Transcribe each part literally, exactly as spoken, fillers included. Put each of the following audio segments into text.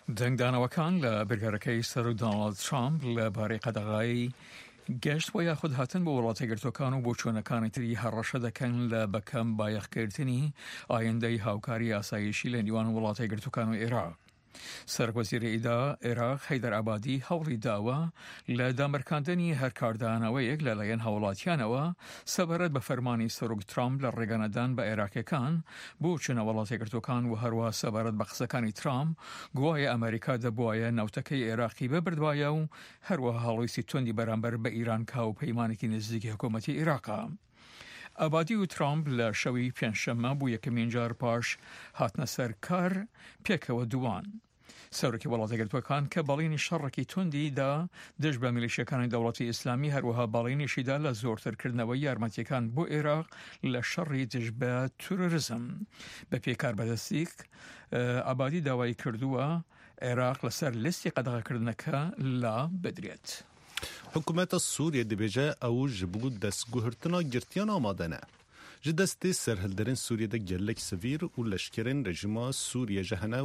دەنگدانەوەکان لە بریارەکەی سەرۆک دۆناڵد ترامپ لە بارەی قەدەغای گەشت و یاخود هاتن بۆ وڵاتە گرتوەکان و بۆچوونەکانی تری هەڕەشە دەکەن لە بەکەم بایەخکردنی ئایندەی هاوکاری ئاسایشی لە نیوان وڵاتە گرتوەکان و عێراق. سەرۆک وەزیری ئیدا عێراق حەیدەر عەبادی هەوڵی داوە لە دامرکاندنی هەر کاردانەوەیەک لەلایەن هاوڵاتیانەوە سەبارەت بە فەرمانی سەرۆک ترامپ لە ڕێگەنەدان بە عێراقیەکان بۆ چوونە وڵاتە گرتوەکان و هەروە سەبارەت بە قسەکانی ترامپ گوایە ئەمریکا دەبوایە نەوتەکەی عێراقی ببردبایە و هەروەها هەڵویستی توندی بەرامبەر بە ئیران کە هاوپەیمانێکی نزیکی حکوومەتی عێراقە. ئابادی و ترامپ لە شەوی پێنجشەممە بۆ یەکەمین جار پاش هاتنە سەر کار پێکەوە دووان سەرۆکی وڵاتە گرتوەکان کە بەڵینی شەڕێکی توندی دا دژ بە میلیشیەکانی دەوڵەتی ئیسلامی، هەروەها بەڵینیشیدا لە زۆرترکردنەوەی یارمەتیەکان بۆ عێراق لە شەڕی دژ بە تروریزم. بە پێی کاربەدەستیک، ئابادی داوای کردووە عێراق لەسەر لیستی قەدەغەکردنەکە لا بدرێت. Hikûmeta Sûriyê dibêje ew ji bo destguhirtina girtiyan amade ne. Ji destê serhilderên Sûriyê de gelek sivîl û leşkerên rejîma Sûriye jî hene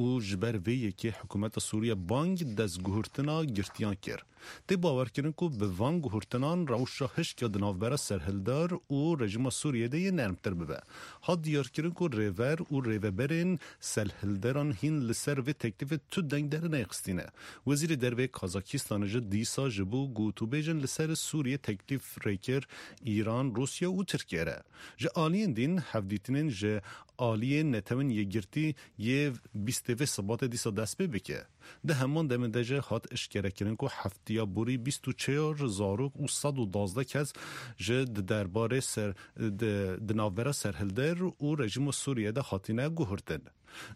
û ji ber vê yekê hikûmeta Sûriye bang destguhirtina girtiyan kir. Tê bawerkirin ku bi van guhirtinan rewşa hişk ya di navbera serhildar û rejîma Sûriyê de yê nermtir bibe. Hat diyarkirin ku rêver û rêveberên serhilderan hîn li ser vê teklîfê tu deng dernexistîne. Wezîrê Dervê Kazakistanê jî dîsa ji bo gotûbêjin li ser Sûriyê teklîf rêkir Îran, Rûsya û Tirkiye re. Ji aliyên din hevdîtinên ji aliyê Netewên Yekgirtî yê bîstê vê Sibatê dîsa dest pê bike. Di heman demê de jî hat eşkerekirin ku heftiya borî bîst û çar zarok û sed û duwazdeh kes ji di derbarê ser, di, di navbera serhilder û rejîma Sûriyê de hatine guhurtin.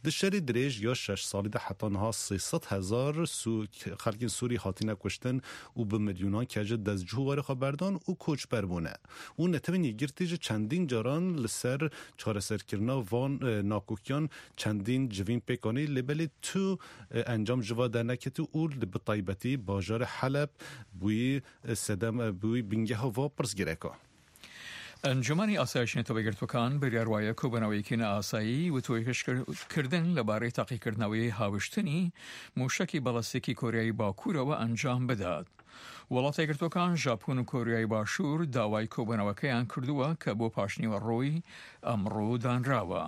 Di şerê dirêj ya şeş salî de heta niha sê sed hezar Sû-, xelkên Sûrî hatine kuştin û bi milyonan kes ji destcû warê xwe berdan û koçber bûne. Û Netewên Yekgirtî ji çendîn caran li ser çareserkirina van, e, nakokiyan çendîn civîn pêk anî, lê belê tu, e, encam ji va derneketî û li bi taybetî bajarê Heleb bûyî, e, sedem, e, bûyî bingeha va pirsgirêka. ئەنجومەنی ئاسایشی نەتەوە یەکگرتووەکان بریار وایە کۆبوونەوەیەکی نائاسایی و توێکشکردن لەبارەی تاقیکردنەوەی هاوشتنی موشەکی بەڵەستیکی کۆریای باکوورەوە ئەنجام بدات. وڵاتە یەکگرتووەکان، ژاپۆن و کۆریای باشوور داوای کۆبوونەوەکەیان کردووە کە بۆ پاشنیوە ڕۆی ئەمڕۆ دانراوە.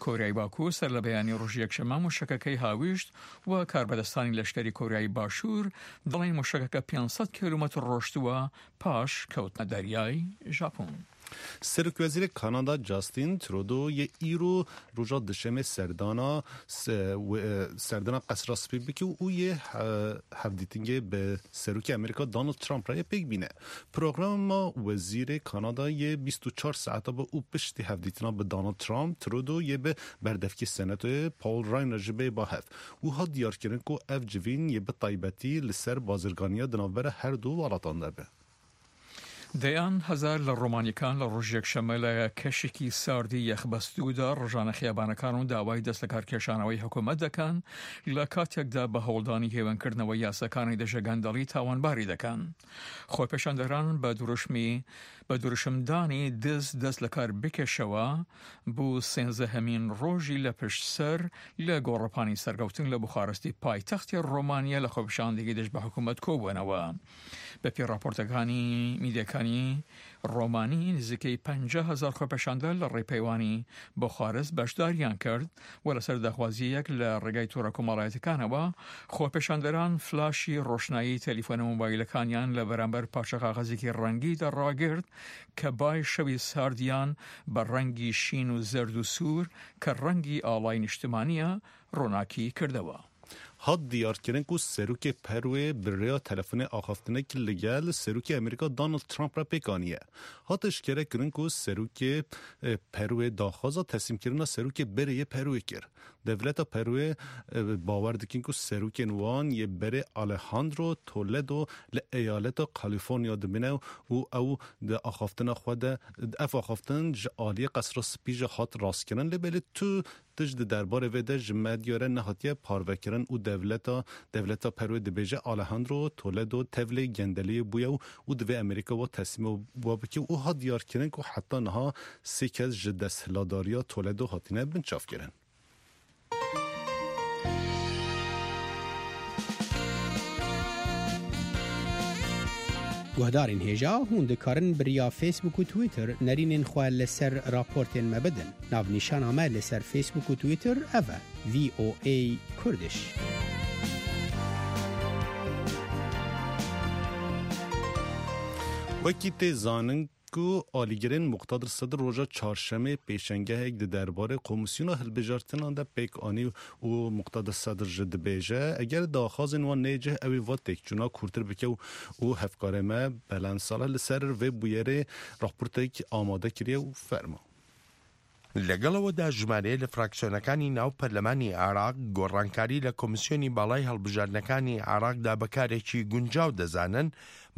کۆریای باکوور سەر لە بەیانی ڕۆژی یەکشەممە موشەکەکەی هاویشت و کاربەدەستانی لەشکری کۆریای باشوور دەڵێن موشەکەکە پێنج سەد کیلومەتر ڕۆشتووە پاش کەوتنە دەریای ژاپۆن. Serokwezîrê Kanada Justin Trudeau yê îro roja dişemê serdana se-, we-, serdana Qesra Spî bike û yê he-, hevdîtingê bi Serokê Amerîka Donald Trump re yê pêk bîne. Programa wezîrê Kanada yê bîst û çar saeta bi û piştî hevdîtina bi Donald Trump, Trudeau yê bi berdevkê Senatoyê Paul Ryan re jî bê ba hev. Wiha diyarkirin ku ev civîn yê bi taybetî li ser bazirganiya di navbera her du welatan de be. دەیان هەزار لە ڕۆمانیەکان لە ڕۆژی یەکشەممە لە کەشێکی ساردی یەخبەستوودا ڕژانە خیابانەکان و داوای دەست لە کارکێشانەوەی حکوومەت دەکەن، لە کاتێکدا بە هەوڵدانی هێوەنکردنەوە یاساکانی دژە گەندەڵی تاوانباری دەکەن. خۆپێشاندەران بە دروشمی، بە دروشمدانی دز دەست لە کار بکێشەوە بۆ سێزدەهەمین ڕۆژی لە پشت سەر لە گۆڕەپانی سەرکەوتن لە بوخارستی پایتەختی ڕۆمانیا لە خۆپیشاندێکی دژ بە حکوومەت کۆبوونەوە. بە پێی راپۆرتەکانی میدیەکانی ڕۆمانی، نزیکەی پەنجا هەزار خۆپیشاندەر لە ڕێپەیوانی بوخارست بەشداریان کرد و لەسەر داخوازیەک لە ڕێگای تۆڕە کۆمەڵایەتەکانەوە خۆپیشاندەران فلاشی ڕۆشنایی تەلیفۆنە مۆبایلەکانیان لە بەرامبەر پارچە کاغەزێکی ڕەنگی دەڕاگرت کە بای شەوی ساردیان بە ڕەنگی شین و زەرد و سوور کە ڕەنگی ئاڵای نیشتمانیە ڕووناکی کردەوە. Hat diyarkirin ku Serokê Perwê bi rêya telefonê axaftinek li gel Serokê Amerîka Donald Trump re pêk aniye. Hat eşkere kirin ku Serokê, e, Perwê daxwaza teslîmkirina Serokê berê yê Perwê kir. Dewleta Perwê, e, bawer dikin ku serokên wan yê berê Alejandro Toledo li eyaleta California dimîne û ew di axaftina xwe de, ev axaftin ji aliyê Qesra Spî jî hat rastkirin, lê belê tu tişt di derbarê vê de ji medya re nehatiye parvekirin û dewleta, dewleta Perwê dibêje Alejandro Toledo tevlê gendeliyê bûye û, û divê Amerîka wa teslîma wa bike û hat diyarkirin ku heta niha sê kes ji desthilatdariya Toledo hatine binçavkirin. Guhdarên hêja, hûn dikarin bi riya Facebook û Twitter nerînên xwe li ser raportên me bidin. Navnîşana me li ser Facebook û Twitter ev e, V O A Kurdish. Wekî tê zanin ku alîgirên Muqtedir Sedir roja çarşemê pêşengehek di derbarê Komîsyona Hilbijartinan de pêk anî û Muqtedir Sedir jî dibêje, eger daxwazên wan neyê cih, ew ê va têkçûna kûrtir bike û, û hevkarê me Belend Salih li ser vê bûyerê raportek amade kiriye û ferma. لەگەڵەوەدا ژمارەیە لە فراکسیۆنەکانی ناو پەرلەمانی عێراق گۆڕانکاری لە کۆمیسیۆنی باڵای هەڵبژاردنەکانی عێراقدا بە کارێکی گونجاو دەزانن،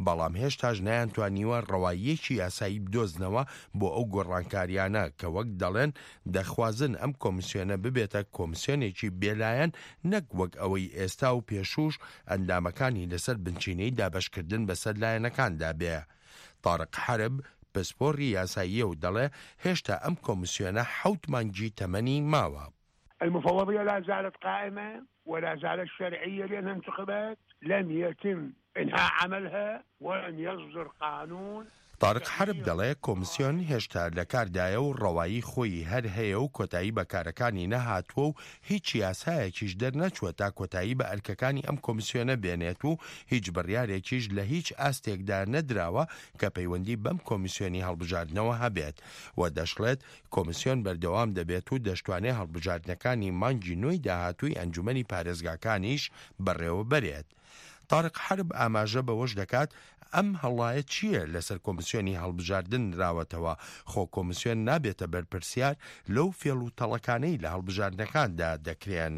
بەڵام هێشتاش نەیانتوانیوە ڕەواییەکی یاسایی بدۆزنەوە بۆ ئەو گۆڕانکاریانە کە وەک دەڵێن دەخوازن ئەم کۆمیسیۆنە ببێتە کۆمیسیۆنێکی بێلایەن، نەک وەک ئەوەی ئێستا و پێشووش ئەندامەکانی لەسەر بنچینەی دابەشکردن بەسەر لایەنەکاندا بێ. تارق حرب پسپۆڕی یاساییە و دەڵێ هێشتا ئەم کۆمیسیۆنە حەوت مانگی تەمەنی ماوە. المفوضية لا زالت قائمة ولا زالت شرعية لأنها انتخبت، لم يتم إنهاء عملها ولم يصدر قانون. تارق حرب دەڵێ کۆمیسیۆن هێشتا لە کاردایە و ڕەوایی خۆی هەر هەیە و کۆتایی بە کارەکانی نەهاتووە و هیچ یاسایەکیش دەرنەچووە تا کۆتایی بە ئەرکەکانی ئەم کۆمیسیۆنە بێنێت و هیچ بڕیارێکیش لە هیچ ئاستێکدا نەدراوە کە پەیوەندی بەم کۆمیسیۆنی هەڵبژاردنەوە هەبێت و دەشڵێت کۆمیسیۆن بەردەوام دەبێت و دەشتوانێت هەڵبژاردنەکانی مانگی نۆی داهاتووی ئەنجومەنی پارێزگاکانیش بەڕێوە بەرێت. تارق حرب ئاماژە بەوەش دەکات ئەم هەڵایە چییە لەسەر کۆمیسیۆنی هەڵبژاردن نراوەتەوە، خۆ کۆمیسیۆن نابێتە بەرپرسیار لەو فێڵ و تەڵەکانەی لە هەڵبژاردنەکاندا دەکرێن.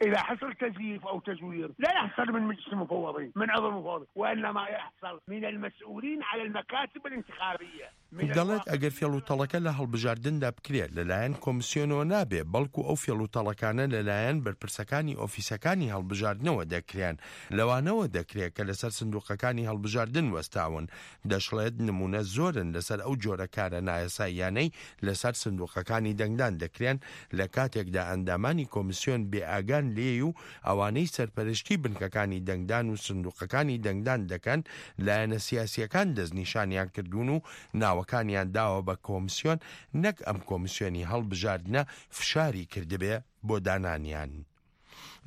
إذا حصل تزييف أو تزوير لا يحصل من مجلس المفوضين، من عضو المفوضين، وإنما يحصل من المسؤولين على المكاتب الانتخابية. دەڵێت ئەگەر فێڵ و تەڵەکە لە هەڵبژاردندا بکرێت لەلایەن کۆمیسیۆنەوە نابێ، بەڵکو ئەو فێڵ و تەڵەکانە لەلایەن بەرپرسەکانی ئۆفیسەکانی هەڵبژاردنەوە دەکرێن، لەوانەوە دەکرێت کە لەسەر سندوقەکانی هەڵبژاردن وەستاون. دەشڵێت نمونە زۆرن لەسەر ئەو جۆرە کارە نایاساییانەی لەسەر سندوقەکانی دەنگدان دەکرێن، لە کاتێکدا ئەندامانی کۆمیسیۆن بێئاگان لێی و ئەوانەی سەرپەرشتی بنکەکانی دەنگدان و سندوقەکانی دەنگدان دەکەن، لایەنە سیاسیەکان دەستنیشانیان کردوون و ناوەکانیان داوە بە کۆمیسیۆن، نەک ئەم کۆمیسیۆنی هەڵبژاردنە فشاری کردبێ بۆ دانانیان.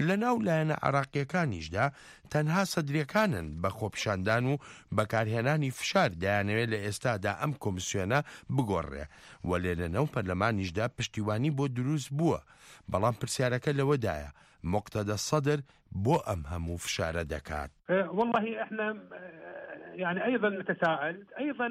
لە ناو لایەنە عێراقیەکانیشدا تەنها سەدرەکانن بە خۆپیشاندان و بەکارهێنانی فشار دەیانەوێت لە ئێستادا ئەم کۆمیسیۆنە بگۆڕێ، وەلێ لە ناو پەرلەمانیشدا پشتیوانی بۆ دروست بووە. بەڵام پرسیارەکە لەوەدایە، مقتەدە سەدر بۆ ئەم هەموو فشارە دەکات؟ أه، والله إحنا، أه، يعني أيضًا نتساءل، أيضًا،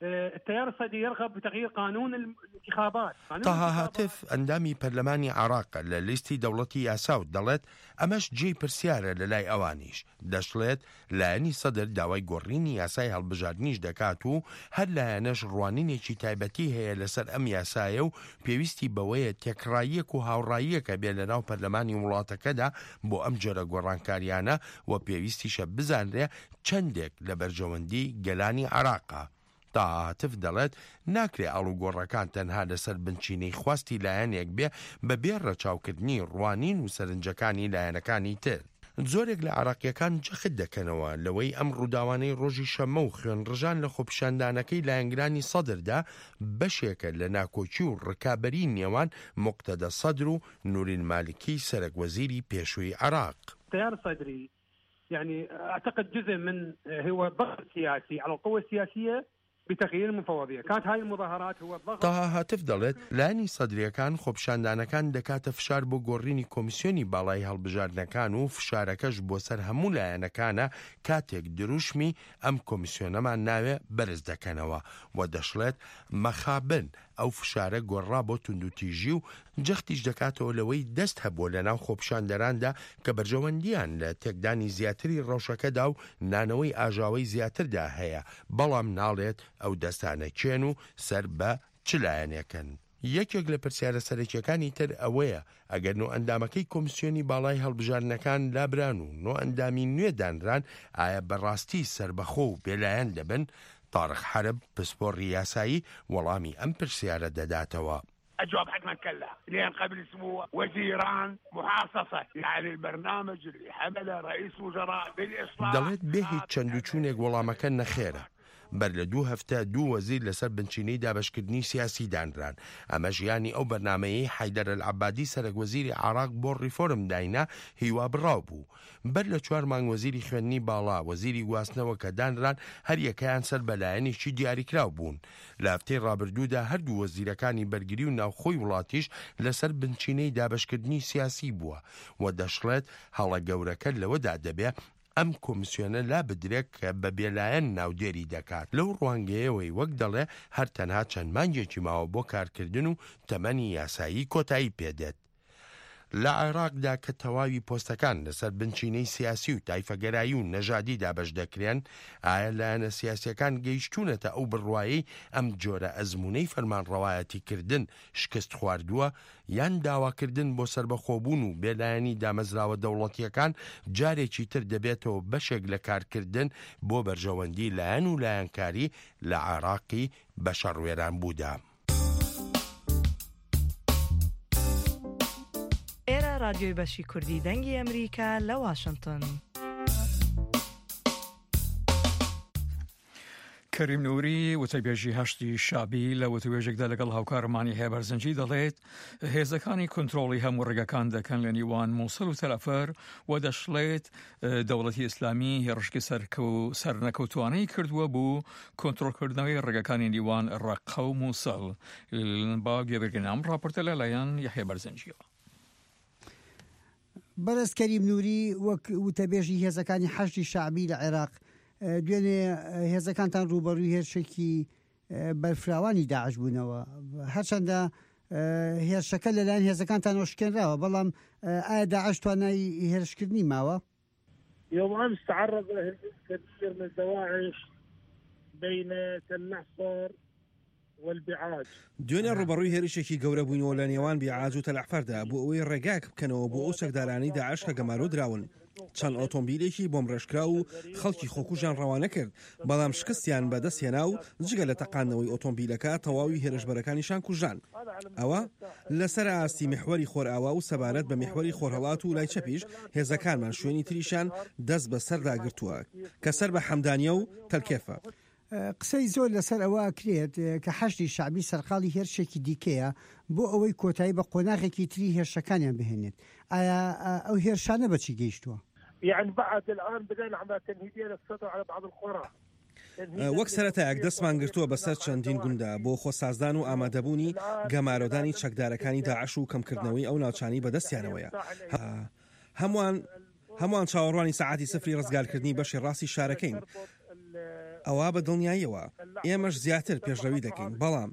أه، التيار الصدري يرغب بتغيير قانون الانتخابات. قانون تاها الانتخابات. هاتف، ئەندامی پەرلەمانی عێراق لە لیستی دەوڵەتی یاسا و دەڵێت ئەمەش جێی پرسیارە لە لای ئەوانیش. دەشڵێت لایەنی سەدر داوای گۆڕینی یاسای هەڵبژاردنیش دەکات و هەر لایەنەش ڕوانینێکی تایبەتی هەیە لەسەر ئەم یاسایە و پێویستی بەوەیە تێکڕاییەک و هاوڕاییەکە بێ لە ناو پەرلەمانی وڵاتەکەدا بۆ ئەم جۆرە گۆڕانکاریانە و پێویستیشە بزانرێ چەندێک لە بەرژەوەندی گەلانی عێراقە. تا هاتف دەڵێت ناکرێ ئاڵوگۆڕەکان تەنها لەسەر بنچینەی خواستی لایەنێک بێ بە بێ ڕەچاوکردنی ڕوانین و سەرنجەکانی لایەنەکانی تر. زۆرێک لە عێراقیەکان جەخت دەکەنەوە لەوەی ئەم ڕووداوانەی ڕۆژی شەممە و خوێنڕژان لە خۆپیشاندانەکەی لایەنگرانی سەدردا بەشێکە لە ناکۆکی و ڕکابەری نێوان مقتەدە سەدر و نورین مالکی سەرەک وەزیری پێشووی عێراق. التيار الصدري، يعني، أعتقد جزء من، هو ضغط سياسي على القوى السياسية بتغيير المفوضية. كانت هاي المظاهرات هو ضغط. تاها هاتف دەڵێت لایەنی سەدریەکان خۆپیشاندانەکان دەکاتە فشار بۆ گۆڕینی کۆمیسیۆنی باڵای هەڵبژاردنەکان و فشارەکەش بۆ سەر هەموو لایەنەکانە کاتێک دروشمی ئەم کۆمیسیۆنەمان ناوێ بەرز دەکەنەوە و دەشڵێت مەخابن ئەو فشارە گۆڕا بۆ توندوتیژی و جەختیش دەکاتەوە لەوەی دەست هەبووە لە ناو خۆپیشاندەراندا کە بەرژەوەندیان لە تێکدانی زیاتری ڕەوشەکەدا و نانەوەی ئاژاوەی زیاتردا هەیە، بەڵام ناڵێت ئەو دەستانە کێن و سەر بە چ لایەنێکن. یەکێک لە پرسیارە سەرەکیەکانی تر ئەوەیە ئەگەر نۆ ئەندامەکەی کۆمیسیۆنی باڵای هەڵبژاردنەکان لابران و نۆ ئەندامی نوێ دانران، ئایا بەڕاستی سەربەخۆ و بێلایەن دەبن؟ تارق حرب، پسپۆڕی یاسایی، وەڵامی ئەم پرسیارە دەداتەوە. الجواب حتما كلا، لأن قبل أسبوع وزيران محاصصة، يعني البرنامج اللي حمله رئيس وزراء بالإصلاح دەڵێت بێ هیچ چەند و چوونێک وەڵامەکە نەخێرە. بەر لە دوو هەفتە دوو وەزیر لەسەر بنچینەی دابەشکردنی سیاسی دانران. ئەمە ژیانی ئەو بەرنمەیەی حەیدەر العبادی سەرەک وەزیری عراق بۆ ریفۆرم داینا هیوا بڕاو بوو. بەر لە چوار مانگ وەزیری خوێندنی باڵا، وەزیری گواستنەوە کە دانران، هەر یەکەیان سەر بەلایەنێکی دیاریکراو بوون. لە هەفتەی ڕابردوودا هەردوو وەزیرەکانی بەرگری و ناوخۆی وڵاتیش لەسەر بنچینەی دابەشکردنی سیاسی بووە و دەشڵێت هەڵە گەورەکە لەوەدا دەبێ ئەم کۆمیسیۆنە لا بدرێت کە بە بێلایەن ناودێری دەکات. لەو ڕوانگەیەوەی وەک دەڵێ هەر تەنها چەند مانگێکی ماوە بۆ کارکردن و تەمەنی یاسایی کۆتایی پێدێت. لە عێراقدا کە تەواوی پۆستەکان لەسەر بنچینەی سیاسی و تایفەگەرایی و نەژادی دابەش دەکرێن، ئایا لایەنە سیاسیەکان گەیشتوونەتە ئەو بڕوایەی ئەم جۆرە ئەزموونەی فەرمانڕەوایەتی کردن شکست خواردووە، یان داواکردن بۆ سربەخۆبوون و بێلایەنی دامەزراوە دەوڵەتیەکان جارێکی تر دەبێتەوە بەشێک لە کارکردن بۆ بەرژەوەندی لایەن و لایەنکاری لە عێراقی بە شەڕوێران بوودا؟ ئێرە ڕادیۆی بەشی کوردی دەنگی ئەمریکا لە واشنگتن. کەریم نوری، وتەبێژی هەشتی شابی، لە وتوێژێکدا لەگەڵ هاوکارمانی هێبەرزنجی دەڵێت هێزەکانی کۆنترۆڵی هەموو ڕێگەکان دەکەن لە نیوان موسڵ و تەلەفەر و دەشڵێت، ئە، دەوڵەتی ئیسلامی هێڕشکی سەرکەو-، سەرنەکەوتوانەی کردووە بۆ کۆنترۆلکردنەوەی ڕێگەکانی نیوان ڕەقە و موسڵ. با گوێبگرین ئەم ڕاپۆرتە لەلایەن یەحیە بەرزنجیەوە. بەڕێز کەریم نوری، وەک وتەبێژی هێزەکانی حەشدی شەعبی لە عێراق، ئە، دوێنێ، ئە، هێزەکانتان ڕوبەڕووی هێرشێکی، ئە، بەرفراوانی داعش بوونەوە. هەرچەندە، ئە، هێرشەکە لەلایەن هێزەکانتانەوە شکێنراوە، بەڵام، ئە، ئایا داعش توانای هێرشکردنی ماوە؟ يوم أمس تعرض كثير من دواعش بين تل نحصر والبعاج. دوێنێ ڕوبەڕووی هێرشێکی گەورە بووینەوە لە نێوان بیعاج و تەلەحفەردا بۆ ئەوەی ڕێگاک بکەنەوە بۆ ئەو چەکدارانی داعش کە گەمارۆ دراون. چەند ئۆتۆمبیلێکی بۆمڕێژکرا و خەڵکی خۆکوژیان ڕەوانە کرد، بەڵام شکستیان بەدەست هێنا و جگە لە تەقاندنەوەی ئۆتۆمبیلەکە، تەواوی هێرشبەرەکانیشان کوژان. ئەوە لەسەر ئاستی میحوەری خۆرئاوا و سەبارەت بە میحوەری خۆرهەڵات و لای چەپیش هێزەکانمان شوێنی تریشان دەست بە سەردا گرتووە کە سەر بە حەمدانیە و تەلکێفە. قسەی زۆر لەسەر ئەوە ئەکرێت، ئە، کە حەشدی شەعبی سەرقاڵی هێرشێکی دیکەیە بۆ ئەوەی کۆتایی بە قۆناغێکی تری هێرشەکانیان بهێنێت. ئایا، ئە، ئەو هێرشانە بە چی گەیشتووە؟ يعني بعد الآن بدأنا عم تنهيدية للسيطرة على بعض القرى. ئە، وەک سەرەتایەک دەستمان گرتووە بەسەر چەندین گوندا بۆ خۆسازدان و ئامادەبوونی گەمارۆدانی چەکدارەکانی داعش و کەمکردنەوەی ئەو ناوچانی بەدەستیانەوەیە. هە-، هەمووان، هەمووان چاوەڕوانی سەعاتی سفری ڕزگارکردنی بەشی ڕاستی شارەکەین. ئەوە بە دڵنیاییەوە. ئێمەش زیاتر پێشڕەوی دەکەین، بەڵام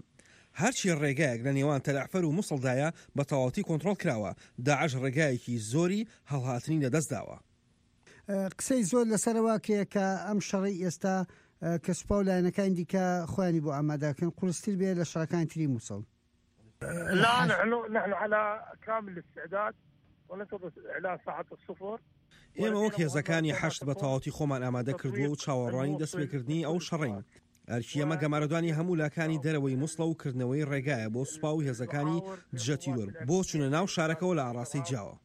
هەرچی ڕێگایەک لە نێوان تەلەحفەر و موسڵدایە بە تەواوەتی کۆنترۆڵ کراوە. داعش ڕێگایەکی زۆری هەڵهاتنی لەدەستداوە. ئە، قسەی زۆر لەسەرەوە کرێ کە ئەم شەڕی ئێستا، ئە، کە سوپا و لایەنەکانی دیکە خۆیانی بۆ ئامادەکەن، قورستر بێ لە شەڕەکانی تری موسڵ. لا، نحن، نحن على كامل الاستعداد وننتظر إعلان ساعة الصفر. ئێمە وەک هێزەکانی حەشد بە تەواوەتی خۆمان ئامادە کردووە و چاوەڕوانی دەستپێکردنی ئەو شەڕین. ئەرکی ئەمە گەمارۆدانی هەموو لاکانی دەرەوەی موسڵە و کردنەوەی ڕێگایە بۆ سوپا و هێزەکانی دژە تیرۆر بۆ چوونە ناو شارەکەەوە لە ئاڕاستەی جیاوە.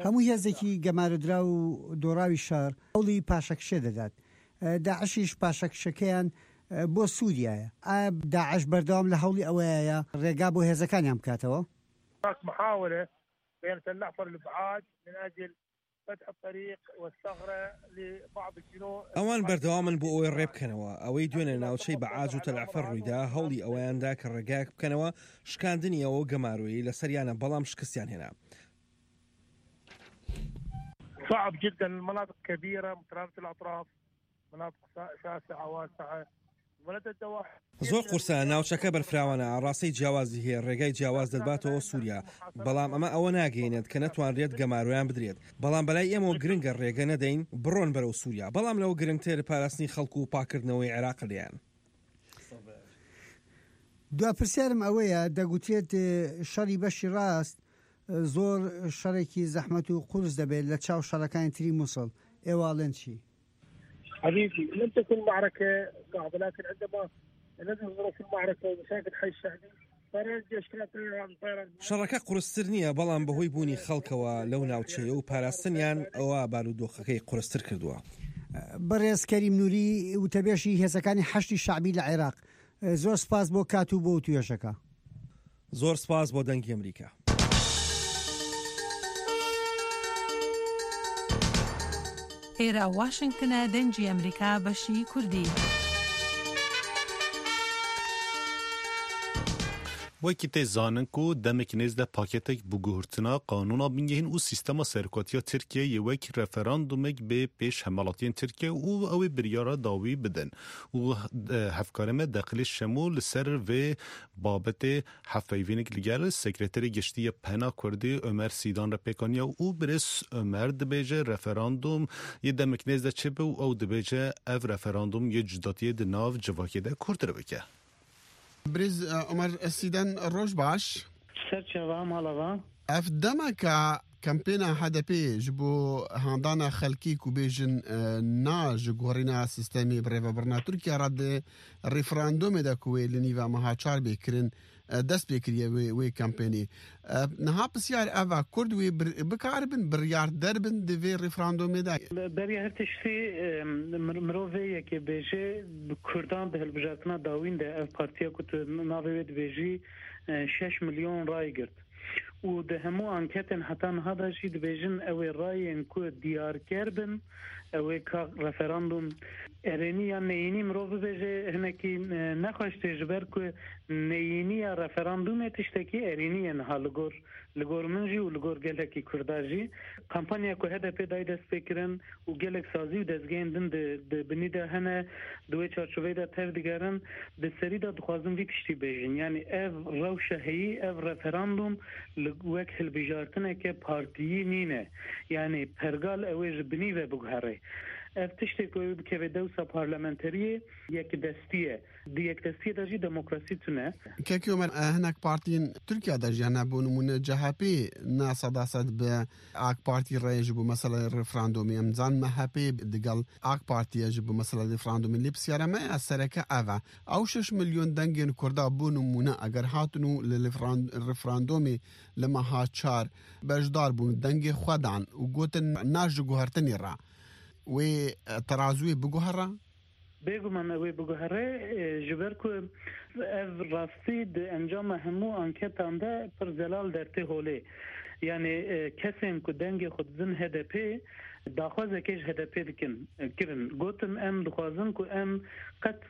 هەموو هێزێکی گەمارۆدراو و دۆڕاوی شار هەوڵی پاشەکشێ دەدات. داعشیش پاشەکشەکەیان بۆ سووریایە. ئایا داعش بەردەوام لە هەوڵی ئەوەیە ڕێگا بۆ هێزەکانیان بکاتەوە؟ هناك محاولة بين تل نحفر الإبعاد من أجل فتح الطريق والثغرة لبعض الجنود. ئەوان بەردەوامن بۆ ئەوەی ڕێ بکەنەوە. ئەوەی دوێنێ ناوچەی بەعاج و تەلعفەر ڕوویدا، هەوڵی ئەوەیان دا کە ڕێگایەک بکەنەوە شکاندنی ئەوە گەمارۆیەی لەسەریانە، بەڵام شکستیان هێنا. صعب جدا، المناطق كبيرة مترامة الأطراف، مناطق شاسعة واسعة، ولدى الدواحي. زۆر قورسە، ناوچەکە بەرفراوانە، ئاڕاستەی جیاوازی هەیە، ڕێگای جیاواز دەباتەوە سووریا. بەڵام ئەمە ئەوە ناگەیەنێت کە نەتوانرێت گەمارۆیان بدرێت. بەڵام بەلای ئێمەوە گرنگە ڕێگە نەدەین بڕۆن بەرەو سووریا. بەڵام لەوە گرنگتر پاراستنی خەڵک و پاکردنەوەی عێراق لێیان. دوا پرسیارم ئەوەیە، دەگوترێت، ئێ، شەڕی بەشی ڕاست، ئێ، زۆر شەڕێکی زەحمەت و قورس دەبێت لە چاو شەڕەکانی تری موسڵ. ئێواڵێن چی؟ حبيبي، لم تكن معركة صعبة، لكن عندما لازم ظروف المعركة ومشاكل حي الشعبي. طيران الجيش كانت طيران، طيران. شەڕەکە قورستر نییە، بەڵام بەهۆی بوونی خەڵکەوە لەو ناوچەیە و پاراستنیان، ئەوە بارودۆخەکەی قورستر کردووە. بەڕێز کەریم نوری، وتەبێژی هێزەکانی حەشدی شەعبی لە عێراق، زۆر سپاس بۆ کات و بۆ توێژەکە. زۆر سپاس بۆ دەنگی ئەمریکا. ئێرە واشنگتنە، دەنگی ئەمریکا، بەشی کوردی. Wekî tê zanin ku demek nêz de paketek biguhurtina qanûna bingehîn û sîstema serokatiya Tirkiyeyê wek referandûmek bê pêş hemwelatiyên Tirkiye û ew ê biryara dawî bidin. Û, e, hevkarê me Deqilê Şemo li ser vê babetê hevpeyvînek li gel Sekreterê Giştî ya Pena Kurdî Ömer Sîdan re pêk aniye û birêz Ömer dibêje referandûm yê demek nêz de çêbe û ew dibêje ev referandûm yê cudatiyê di nav civakê de kûrtir bike. Birêz, e, Omer Sîden, roj baş. Ser çava, mala va. Ev demeka kempêna H D P ji bo handana xelkî ku bêjin, e, na ji guherîna sîstemê birêvebirina Tirkiye re di referandumê de ku wê li nîva meha çar bê kirin, e, dest pê kiriye wê, wê kempênê. E, niha pisyar ev e, Kurd wê bir-, bikaribin biryar derbin di vê referandumê de? Beriya her tiştî, e, mir-, mirov vê yekê bêje, bi Kurdan di hilbijartina dawîn de ev partiya ku tu navê wê dibêjî, e, şeş milyon ray girt. Û di hemû anketên heta niha de jî dibêjin ew ê rayên ku diyarker bin, ew ê ka referandûm erênî yan neyînî mirov bibêje, hinekî, e, nexweş tê, ji ber ku neyîniya referandûmê tiştekî erênî ye niha li gor, li gor min jî û li gor gelekî Kurda jî. Kampanya ku H D P dayê destpêkirin û gelek sazî û dezgehên din di, di binî de hene, di wê çarçoveyê de tev digerin, di serî de dixwazin vî tiştî bêjin. Yanî ev rewşa heyî, ev referandûm li wek hilbijartineke partiyî nîne. Yanî pergal ew ê ji binî ve biguhere. Ev tiştê ku ew ê bikeve dewsa parlamenteriyê yekdestî ye. Di yekdestiyê de jî demokrasî tune. Kekê Omer, e, hinek partiyên Tirkiye de jî hene, bo nimûne C H P ne sedased bi AK Partî re ji bo meseleyê referandumê. Em zanin M H P digel AK Partî ye ji bo meseleyê referandumê. Lê pisyara me ya sereke ev e. Ew şeş milyon dengên Kurda bo nimûne eger hatin û li, li referan-, referandumê li meha çar beşdar bûn, dengê xwe dan û gotin na ji guhertinê re. Wê, e, terazûyê biguhere? Bêguman ew ê biguhere, e, ji ber ku ev rastî di encama hemû anketan de pir zelal dertê holê. Yanî, e, kesên ku dengê xwe didin H D P, daxwazekê ji H D P dikin, e, kirin. Gotin, em dixwazin ku em qet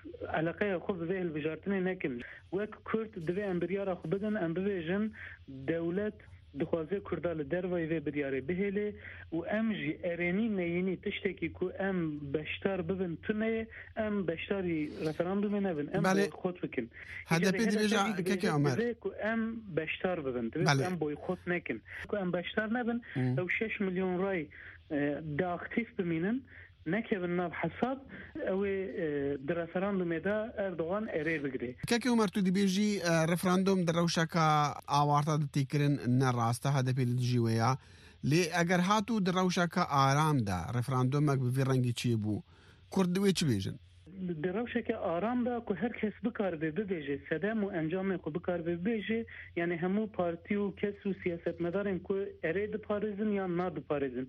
eleqeya xwe bi vê hilbijartinê nekin. Wek Kurd divê em biryara xwe bidin, em bibêjin, dewlet dixwaze Kurda li dervayî vê biryarê bihêle û em jî erênî neyînî tiştekî ku em beşdar bibin tune ye, em beşdarî referandumê nebin, em Belê. boykot bikin. H D P Îşte dibêje, H D P jî dibêje, kekê Omer. Divê ku em beşdar bibin, divê ku Belê. em boykot nekin. Ku em beşdar nebin, Hmm. ew şeş milyon ray, e, de aktîf bimînin, nekevin nav hesab, ew ê, e, di referandumê de Erdogan erê bigire. Kekê Omer, tu dibêjî, e, referandum di rewşeke awarte de tê kirin, ne rast e, H D P li dijî wê ya. Lê eger hat û di rewşeke aram de referandumek bi vî rengî çêbû, Kurd divê çi bêjin? Di rewşeke aram de ku her kes bikaribe bibêje sedem û encamê xwe bikaribe bibêje, yanî hemû partî û kes û siyasetmedarên ku erê diparêzin yan nadiparêzin,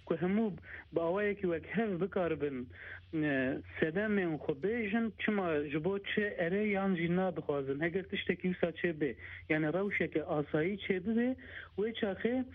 ku hemû bi awayekî wekhev bikaribin, e, sedemên xwe bêjin, çima ji bo çi erê yan jî na dixwazin. Heger tiştekî wisa çêbe, yanî rewşeke asayî çêbibe, wê çaxê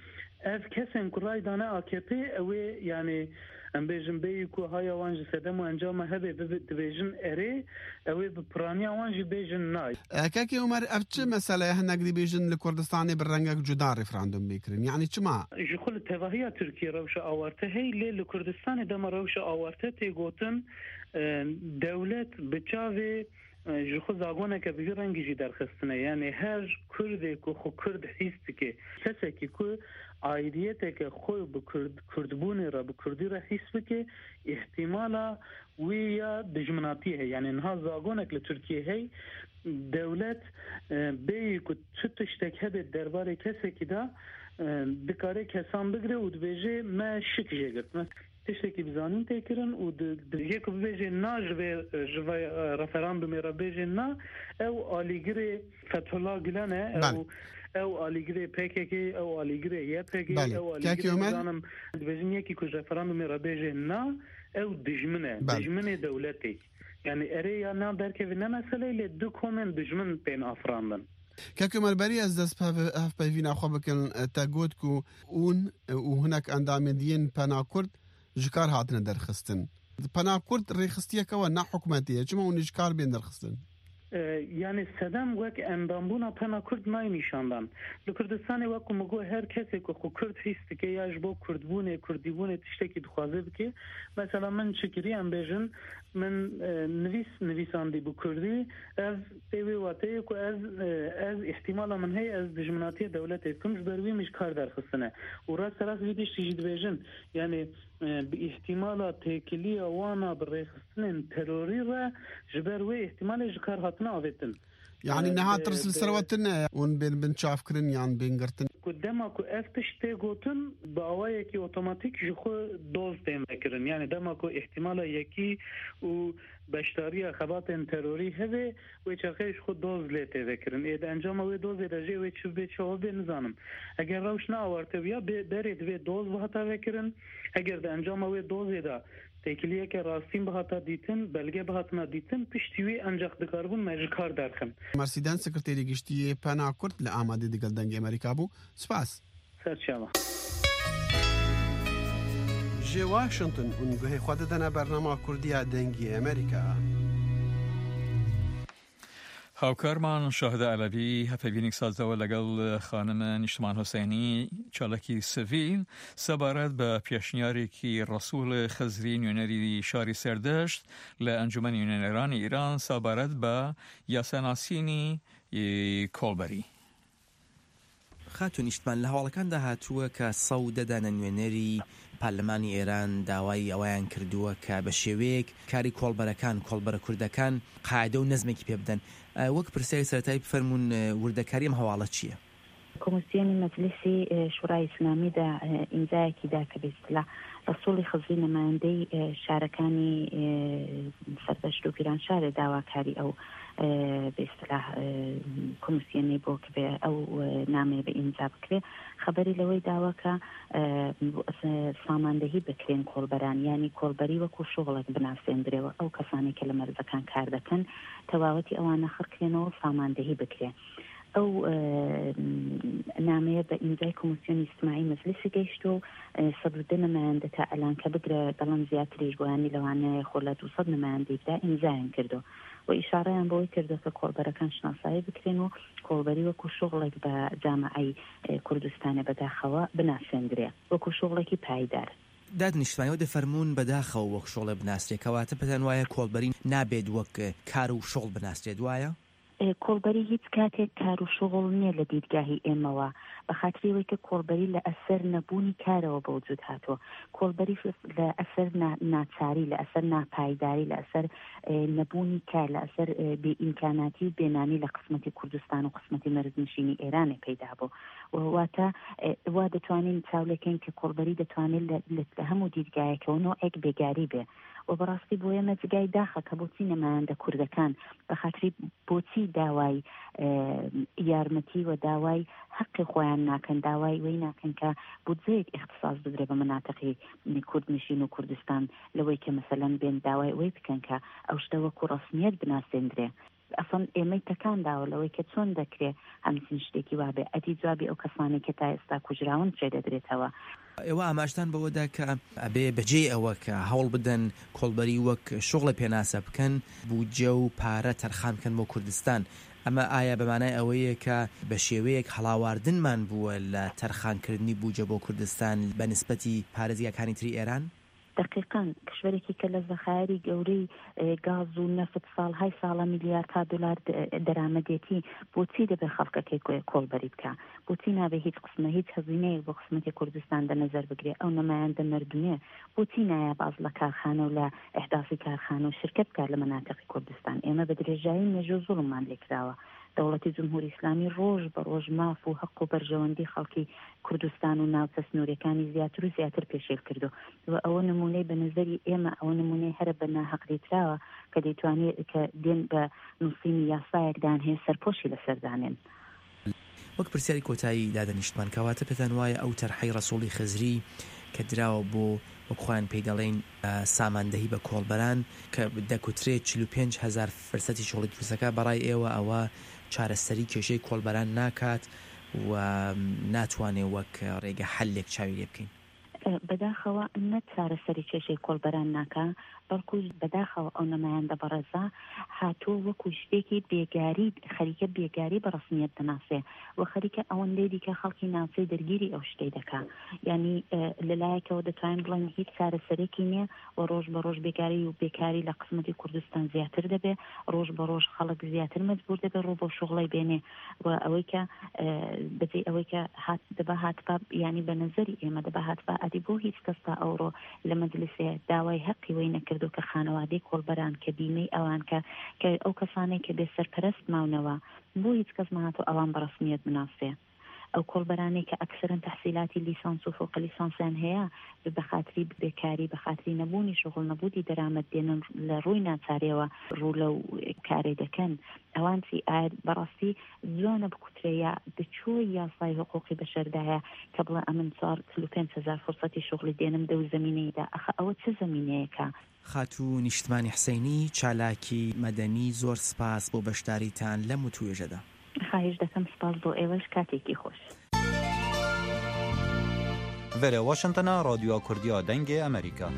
ev kesên ku ray dane A K P, ew ê, yanî em bêjin bêyî ku haya wan ji sedem û encama hebe bibe, dibêjin erê, ew ê bi piraniya wan jî bêjin na. E, Kekê Omer, ev çi mesele ye? Hinek dibêjin li Kurdistanê bi rengek cuda referandum bê kirin. Yanî çima? Ji xwe li tevahiya Tirkiyê rewşa awarte heye, lê li Kurdistanê dema rewşa awarte tê gotin, e, dewlet bi çavê, e, ji xwe zagoneke bi vî rengî jî derxistine. Yanî her Kurdê ku xwe Kurd hîs dike, kesekî ku aidiyeteke xwe bi Kurd, Kurdbûnê re, bi Kurdî re hîs bike, îhtimala wî ya dijminatiyê heye. Yanî niha zagonek li Tirkiyê heye, dewlet, e, bêyî ku çi tiştek hebe derbarê kesekî de, e, dikare kesan bigire û dibêje, me şik jê girt. Me Tiştekî bi zanîn tê kirin û di, di, yê ku bibêjê na ji vê, ji vê, e, referandumê re bêjê na, ew alîgirê Fethullah Gulen e, Belê. ew, ew alîgirê P K K, ew alîgirê Y P G, Belê. ew alîgirê Kekî Ömer? nizanim, dibêjin yekî ku ji referandumê re bêjê na, ew dijmin e, Belê. dijminê dewletê. Yani erê ya na derkevî ne meseleyê lê du komên dijmin tên afirandin. Kek Ömer, berî ez dest bi hev-, hevpeyvîna xwe bikim, te got ku hûn û hinek endamên diyên Pena Kurd ji kar hatine derxistin. Pena Kurd rêxistiyeke we ne hikûmetê ye. Çima hûn ê ji kar bên derxistin? E, yani sedem wek endambûna Pena Kurd nayê nîşandan. Li Kurdistanê wek ku min got, her kesê ku xwe Kurd hîs dike ya ji bo Kurdbûnê, Kurdîbûnê tiştekî dixwaze bike. Mesela min çi kirî, em bêjin, min, e, nivîs nivîsandî bi Kurdî, ev ê wê wateyê ku ez, e, ez îhtîmala min heye ez dijminatiya dewletê bikim, ji ber wî min ji kar derxistine. Û rasterast vî tiştî jî dibêjin, yani, e, bi îhtîmala têkiliya wana bi rêxistinên terorî re ji ber wê îhtîmalê ji kar hatine avêtin. Yani E, niha e, tirs li ser e, we tune hûn bên binçavkirin yan bên girtin? Ku dema ku ev tişt tê gotin, bi awayekî otomatîk ji xwe doz tên vekirin. Yani dema ku îhtîmala yekî û beşdariya xebatên terorî hebe, wê çaxê ji xwe doz lê tê vekirin. Ê di encama wê dozê de jê wê çi bê çawa bê nizanim. Eger rewş ne awarte bûya, bê, berê divê doz bihata vekirin. Eger di encama wê dozê de têkiliyeke rastîn bihata dîtin, belge bihatina dîtin, piştî wî encax dikaribûn me ji kar derxin. Mersîden, sekreterê giştî yê Pena Kurd li Amedê digel Dengê Amerîka bû. Spas. Serçava. Ji Washington hûn guhê xwe didine bernama Kurdiya Dengê Amerîka. هاوکارمان شاهدا ئەلەوی هەپەیڤینێک سازەوە لەگەڵ خانم نیشتمان حوسێنی، چالاکی سڤیل، سەبارەت بە پێشنیارێکی ڕەسوول خزری نوێنەری شاری سەردەشت لە ئەنجومەنی نوێنەرانی ئیران سەبارەت بە یاساناسینی کۆڵبەری. خاتوو نیشتمان، لە هەواڵەکاندا هاتووە کە سەد و دە دانە نوێنەری پارلمانی ئێران داوای ئەوەیان کردووە کە بە شێوەیەک کاری کۆڵبەرەکان، کۆڵبەرە کوردەکان قاعدە و نەزمێکی پێ بدەن. ئە، وەک پرسیاری سەرەتایی بفەرموون، ئە، وردەکاری ئەم هەواڵە چییە؟ کۆمیسیۆنی مەجلیسی، ئە، شورای ئیسلامیدا، ئە، ئیمزایەکی دا کە بە ئیستیلا ڕەسووڵی خزری نەمایەندەی، ئە، شارەکانی، ئە، سەردەشت و پیرانشارێ داواکاری ئەو، ئە، بە ئیستیلا، ئە، کۆمیسیۆنەی بۆ کە بێ ئەو، ئە، نامەیە بە ئیمزا بکرێ. خەبەری لەوەی داوە کە، ئە، ساماندەهی بکرێن کۆڵبەران، یعنی کۆڵبەری وەکو شغڵێک بناسێندرێەوە. ئەو کەسانی کە لە مەرزەکان کار دەکەن، تەواوەتی ئەوانە خڕکرێنەوە و ساماندەهی بکرێ. ئەو، ئە، نامەیە بە ئیمزای کۆمیسیۆنی ئیجتیماعی مەجلیسی گەیشتووە و، ئە، سەد و دە نەمایەندە تا ئەلان کە بگرە دەڵێن زیاتریش بۆ، یانی لەوانەیە خۆ لە دوو سەد نەمایەندەی دا ئیمزایان کردووە و ئیشارەیان بۆی کردووە کە کۆڵبەرەکان شناسایی بکرێن و کۆڵبەری وەکو شغڵێک بە جامعەی، ئە، کوردستانە بەداخەوە بناسێندرێ وەکو شغڵێکی پایدار. داد نیشتمانەوە دەفەرموون بەداخەوە وەک شغڵێ بناسرێ، کەواتە پێتان وایە کۆڵبەری نابێت وەک کار و شغڵ بناسرێت، وایە؟ ئێ، کۆڵبەری هیچ کاتێک کار و شغڵ نییە لە دیدگاهی ئێمەوە، بە خاتری ئەوەی کە کۆڵبەری لە ئەسەر نەبوونی کارەوە بە وجود هاتووە. کۆڵبەری لە ئەسەر نا-، ناچاری، لە ئەسەر ناپایداری، لە ئەسەر، ئێ، نەبوونی کار، لە ئەسەر، ئێ، بێ ئیمکاناتی و بێنانی لە قسمەتی کوردستان و قسمەتی مەرزنشینی ئێرانێ پەیدا بوو. و واتە، ئێ، وا دەتوانین چاو لێکەین کە کۆڵبەری دەتوانێت لە، لە، لە هەموو دیدگایەکەوە نوعێک بێگاری بێ. و بەڕاستی بۆ ئێمە جگای داخە کە بۆچی نەمایەندە کوردەکان بە خاتری بۆچی داوای، ئێ، یارمەتی و داوای حەقی خۆیان ناکەن، داوای وەی ناکەن کە بودجەیەک ئیختصاص بدرێ بە مناتقی کوردنشین و کوردستان، لەوەی کە مەسەلەن بێن داوای ئەوەی بکەن کە ئەو شتە وەکو ڕەسمیەت بناسێندرێ. ئەسڵەن ئێمەی تەکان داوە لەوەی کە چۆن دەکرێ هەمچین شتێکی وابێ. ئەدی جوابی ئەو کەسانەی کە تا ئێستا کوژراون چێ دەدرێتەوە. ئێوە ئاماژتان بەوەدا کە ئەبێ بەجێ ئەوە کە هەوڵ بدەن کۆڵبەری وەک شغڵە پێناسە بکەن، بودجە و پارە تەرخان بکەن بۆ کوردستان. ئەمە ئایا بە مانای ئەوەیە کە بە شێوەیەک هەڵاواردنمان بووە لە تەرخانکردنی بودجە بۆ کوردستان بە نسبەتی پارێزگاکانی تری ئێران؟ دەقیقەن، کشوەرێکی کە لە زەخایری گەورەی، ئێ، گاز و نەفت ساڵهای ساڵە میلیاردها دلار د-، دەرامەدێتی، بۆچی دەبێ خەڵکەکەی کۆ-، کۆڵبەری بکە؟ بۆچی نابێ هیچ قسمە، هیچ هەزینەیەک بۆ قسمەتی کوردستان دە نەزەر بگرێ؟ ئەو نەمایەندە مردوویە بۆچی نایە باز لە کارخانە و لە ئیحداسی کارخانە و شرکەت بکات لە مناتقی کوردستان؟ ئێمە بە درێژایی مێژوو زوڵممان لێکراوە. دەوڵەتی جمهوری ئیسلامی ڕۆژ بە ڕۆژ ماف و هەق و بەرژەوەندی خەڵکی کوردستان و ناوچە سنوورەکانی زیاتر و زیاتر پێشێل کردو و ئەوە نمونەی بە نەزەری ئێمە، ئەوە نمونەی هەرە بە ناهەق دیتراوە کە دەیتوانێت کە دێن بە نووسینی یاسایەکدان هەیە سەرپۆشی لەسەردانێن. وەک پرسیاری کۆتایی دادە نیشتمان، کەواتە پێتان وایە ئەو تەرحەی ڕەسوڵی خزری کە دراوە بۆ، وەک خۆیان پێی دەڵێن، ئە، ساماندەهی بە کۆڵبەران کە دەکوترێت چل و پێنج هەزار فرسەتی شغڵی دروستەکە، بەڕای ئێوە ئەوە چارەسەری کێشەی کۆڵبەران ناکات و ناتوانێت وەک ڕێگە حلێک چاوی لێ بکەین؟ بەداخەوە نە چارەسەری کێشەی کۆڵبەران ناکا، بەڵکو بەداخەوە ئەو نەمایەندە بەڕێزە هاتووە وەکو شتێکی بێگاری، خەریکە بێگاری بە ڕسمیەت دەناسێ و خەریکە ئەوەندەی دیکە خەڵکی ناوچەی دەرگیری ئەو شتەی دەکا. یعنی، ئە، لەلایەکەوە دەتوانین بڵێن هیچ چارەسەرێکی نییە و ڕۆژ بە ڕۆژ بێگاری و بێکاری لە قسمەتی کوردستان زیاتر دەبێ، ڕۆژ بە ڕۆژ خەڵک زیاتر مەجبور دەبێ ڕوو بەو شغڵەی بێنێ و ئەوەی کە، ئە، بەجێ ئەوەی کە هات دەبا هاتبا، یعنی بە نەزەری ئێمە دەبا هاتبا، ئەدی بۆ هیچ کەس تا ئەوڕۆ لە مەجلسێ داوای هەقی وەی نەکردو کە خانەوادەی کۆڵبەران کە بیمەی ئەوان کە، کە ئەو کەسانەی کە بێ سەرپەرەست ماونەوە، بۆ هیچ کەس نەهاتو ئەوان بە ڕسمیەت بناسێ؟ ئەو کۆڵبەرانەی کە ئەکسەرەن تەحسیلاتی لیسانس و فوق لیسانسیان هەیە، بە خاتری بێکاری، بە خاتری نەبوونی شغل، نەبوونی دەرامەت دێنن لە ڕووی ناچارەوە ڕوو لەو کارەی دەکەن. ئەوان چی؟ ئایا بەڕاستی جوانە بکوترێ یا بچووی یاسای حقوقی بەشەردایە کە بڵێ ئەمن چوار، چل و پێنج هەزار فرسەتی شغلی دێنم دەو زەمینەیدا؟ ئەخە ئەوە چه زەمینەیەکە؟ خاتوو نیشتمانی حسینی، چالاکی مەدەنی، زۆر سپاس بۆ بەشداریتان لەم وتوێژەدا. خواهش دەکەم، سپاس بۆ ئێوەش، کاتێکی خۆش. Vere Washingtona, Radyoya Kurdiya Dengê Amerîka.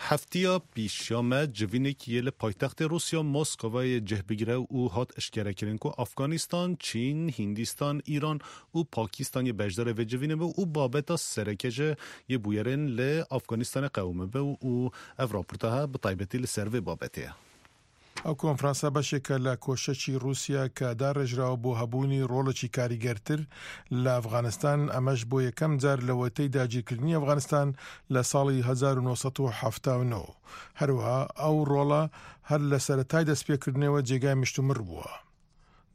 Heftiya pêşiya me civînekî yê li paytextê Rûsya Moskova yê cih bigire û hat eşkerekirin ku Afganistan, Çîn, Hindistan, Îran û Pakistan yê beşdarê vê civînê bû û babeta sereke jî yê bûyerên li Afganistanê qewimibe û ev raporta he bi taybetî li ser vê babetê ye. ئەو کۆنفرانسە بەشێکە لە کۆشەکی رووسیا کە داڕێژراوە بۆ هەبوونی ڕۆڵێکی کاریگەرتر لە ئەفغانستان، ئەمەش بۆ یەکەم جار لە وەتەی داگیرکردنی ئەفغانستان لە ساڵی هەزار و نۆ سەد و حەفتا و نۆ. هەروەها ئەو ڕۆڵە هەر لە سەرەتای دەستپێکردنەوە جێگای مشتومڕ بووە.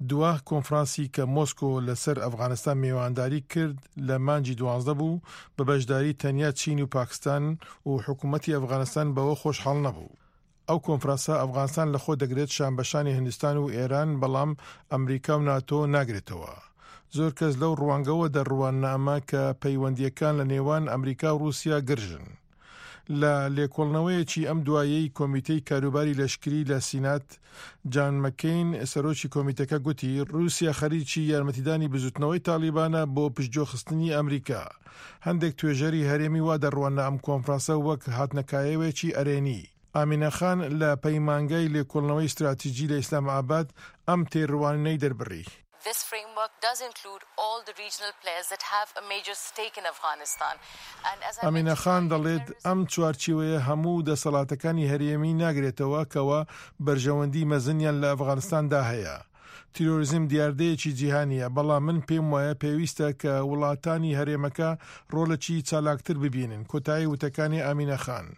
دوا کۆنفرانسی کە مۆسکۆ لەسەر ئەفغانستان میوانداری کرد لە مانگی دوازدە بوو، بە بەشداری تەنیا چین و پاکستان و حکوومەتی ئەفغانستان بەوە خۆشحاڵ نەبوو. ئەو کۆنفرانسە ئەفغانستان لە خۆ دەگرێت شان بە شانی هندستان و ئێران، بەڵام ئەمریکا و ناتۆ ناگرێتەوە. زۆر کەس لەو ڕوانگەوە دەڕواننە ئەمە کە پەیوەندیەکان لە نێوان ئەمریکا و رووسیا گرژن. لە لێکۆڵنەوەیەکی ئەم دوایەی کۆمیتەی کاروباری لەشکری لە سینات، جان مەکین، سەرۆکی کۆمیتەکە گوتی، رووسیا خەریکی یارمەتیدانی بزوتنەوەی تالیبانە بۆ پشتگوێخستنی ئەمریکا. هەندێک توێژەری هەرێمی وا دەڕوانە ئەم کۆنفرانسە وەک هاتنەکایەوێکی ئەرێنی. ئامینە خان لە پەیمانگای لێکۆڵنەوەی استراتیژی لە ئیسلام ئاباد ئەم تێڕوانینەی دەربڕی. This framework does include all the regional players that have a major stake in Afghanistan. And as I ئەمینە mentioned خان earlier, دەڵێت، terrorism ئەم چوارچێوەیە هەموو دەسەڵاتەکانی هەرێمی ناگرێتەوە کەوا بەرژەوەندی مەزنیان لە ئەفغانستاندا هەیە. تیرۆریزم دیاردەیەکی جیهانیە، بەڵام من پێم وایە پێویستە کە وڵاتانی هەرێمەکە ڕۆڵێکی چالاکتر ببینن. کۆتایی وتەکانی ئامینە خان.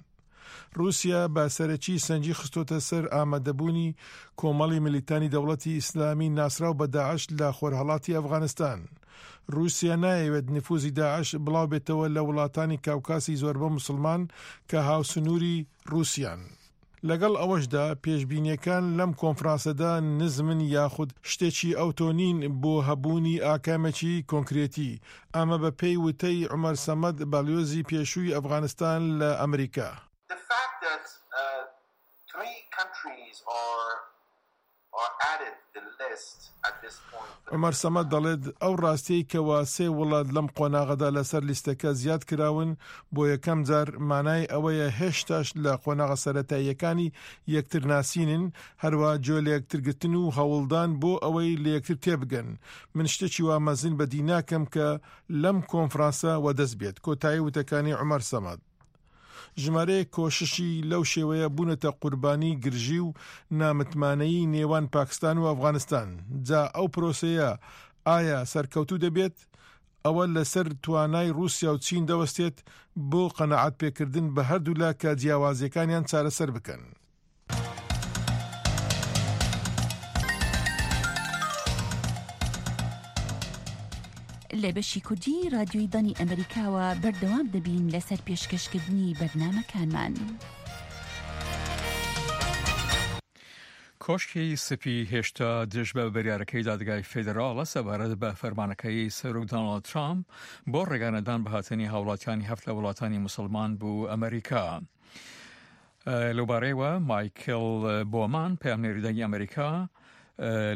رووسیا بە سەرەکی سەنگی خستۆتە سەر ئامادەبوونی کۆمەڵی ملیتانی دەوڵەتی ئیسلامی ناسراو بە داعش لە خۆرهەڵاتی ئەفغانستان. رووسیا نایەوێت نفوزی داعش بڵاو بێتەوە لە وڵاتانی کاوکاسی زۆربە موسڵمان کە هاوسنووری رووسیان. لەگەڵ ئەوەشدا، پێشبینیەکان لەم کۆنفرانسەدا نزمن یاخود شتێکی ئەوتۆ نین بۆ هەبوونی ئاکامێکی کۆنکرێتی. ئەمە بە پێی وتەی عومەر سەمەد، باڵیۆزی پێشووی ئەفغانستان لە ئەمریکا. The fact that, uh, three countries are, are added the list at this point. عومەر سەمەد دەڵێت، ئەو ڕاستیەی کەوا سێ وڵات لەم قۆناغەدا لەسەر لیستەکە زیاد کراون، بۆ یەکەم جار مانای ئەوەیە هێشتاش لە قۆناغە سەرەتاییەکانی یەکتر ناسینن، هەروە جۆ لە یەکترگرتن و هەوڵدان بۆ ئەوەی لە یەکتر تێبگەن. من شتێکی وا مەزن بەدی ناکەم کە لەم کۆنفرانسە وەدەست بێت. کۆتایی وتەکانی عومەر سەمەد. ژمارەیەک کۆششی لەو شێوەیە بوونەتە قوربانی گرژی و نامتمانەیی نێوان پاکستان و ئەفغانستان. جا ئەو پرۆسەیە ئایا سەرکەوتوو دەبێت؟ ئەوە لەسەر توانای رووسیا و چین دەوەستێت بۆ قەناعەت پێکردن بە هەردوولا کە جیاوازیەکانیان چارەسەر بکەن. لە بەشی کوردی رادیۆی دانی ئەمریکاوە بەردەوام دەبین لەسەر پێشکەشکردنی بەرنامەکانمان. کۆشکی سپی هێشتا دژ بە بریارەکەی دادگای فێدراڵە سەبارەت بە فەرمانەکەی سەرۆک دۆناڵد ترامپ بۆ ڕێگانەدان بە هاتنی هاوڵاتیانی هەفت لە وڵاتانی موسڵمان بۆ ئەمریکا. لەوبارەیەوە مایکل بۆمان، پەیامنێری دەنگی ئەمریکا،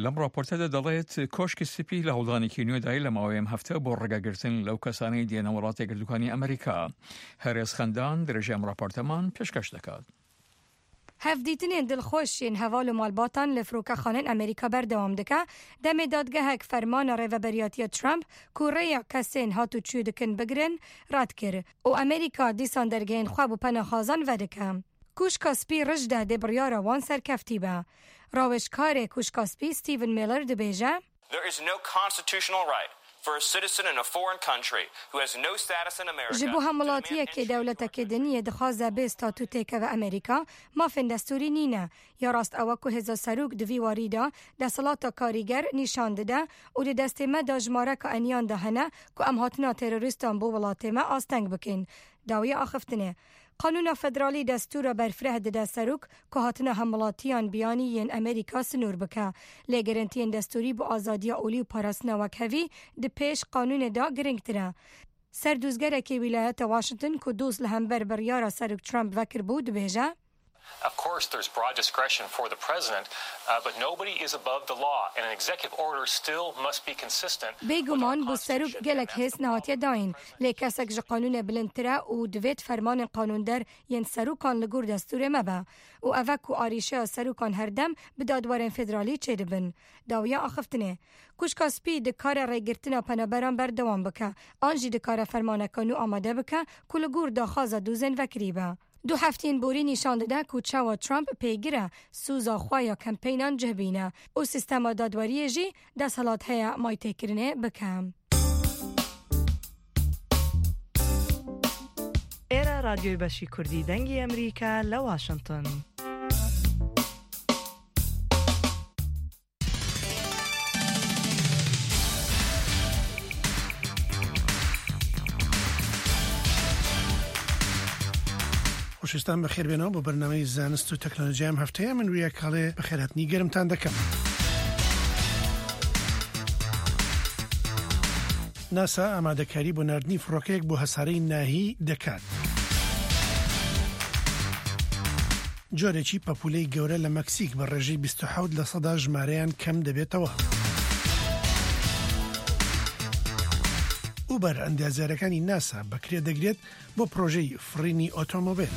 لەم راپۆرتەدا دەڵێت کۆشکی سپی لە هەوڵدانێکی نوێدای لە ماوەی ئەم هەفتە بۆ ڕێگەگرتن لەو کەسانەی دێنە وڵاتە گردووکانی ئەمریکا. هەرێز خەندان درێژەی ئەم راپۆرتەمان پێشکەش دەکات. Hevdîtinên dilxweş yên heval û malbatan li firokexanên Amerîka berdewam dike, demê dadgehek fermana rêveberiyatiya Trump ku rêya kesên hat û çû dikin bigirin, red kir û Amerîka dîsan dergehên xwe bo penaxwazan vedike. Kûşka Spî rij de dê biryara wan serkeftî be. Rawêjkarê Kûşka Spî Stephen Miller dibêje, There is no constitutional right for a citizen in a foreign country who has no status in America Ji bo hemwelatiyekê dewletekê din yê dixwaze bê statû têkeve Amerîka, mafên destûrî nîne. Ya rast ew e ku hêza serok di vî warî de desthilata karîger nîşan dide û di destê me de jimareka eniyan de hene ku em hatina terorîstan bo welatê me asteng bikin. Dawiya axiftinê. Qanûna federalî destûra berfireh dide serok ku hatina hemwelatiyan biyanî yên Amerîka sinûr bike. Lê gerentiyên destûrî bo azadiya olî û parastina wekhevî di pêş qanûnê de giringtir e. Serdozgerekê Wîlayeta Washington ku doz li hember biryara Serok Trump vekiribû dibêje, Of course, there's broad discretion for the president, uh, but nobody is above the law, and an executive order still must be consistent with our Bêguman bo serok constitution, and gelek that's hêz the problem. nehatiye dayîn, lê kesek ji qanûnê bilindtir e û divêt fermanên qanûnder yên serokan li gor destûrê me be û ev e ku arîşeya serokan herdem bi dadwerên federalî çêdibin. Dawiya axiftinê. Kuşka Spî dikare rêgirtina penaberan berdewam bike, an jî dikare fermaneke nû amade bike ku li gor daxwaza dozên vekirî be. Du heftên borî nîşan dide ku çawa Trump pêgir e soza xwe ya kempeynan cih bîne û sîstema dadweriyê jî desthilat heye maytêkirinê bike. Êra Radyoyê Beşî Kurdî Dengê Emerîka li Washington. خۆشەویستان، بەخێربێنەوە بۆ بەرنامەی زانست و تەکنۆلۆژیا ئەم هەفتەیە. من وریاکاڵێ بەخێرهاتنی گەرمتان دەکەم. ناسا ئامادەکاری بۆ ناردنی فڕۆکەیەک بۆ هەسارەی ناهی دەکات. جۆرێکی پەپولەی گەورە لە مەکسیک بە ڕێژەی بیست و حەوت لە سەدا ژمارەیان کەم دەبێتەوە. ئوبەر ئەندازیارەکانی ناسا بەکرێ دەگرێت بۆ پرۆژەی فڕینی ئۆتۆمۆبیل.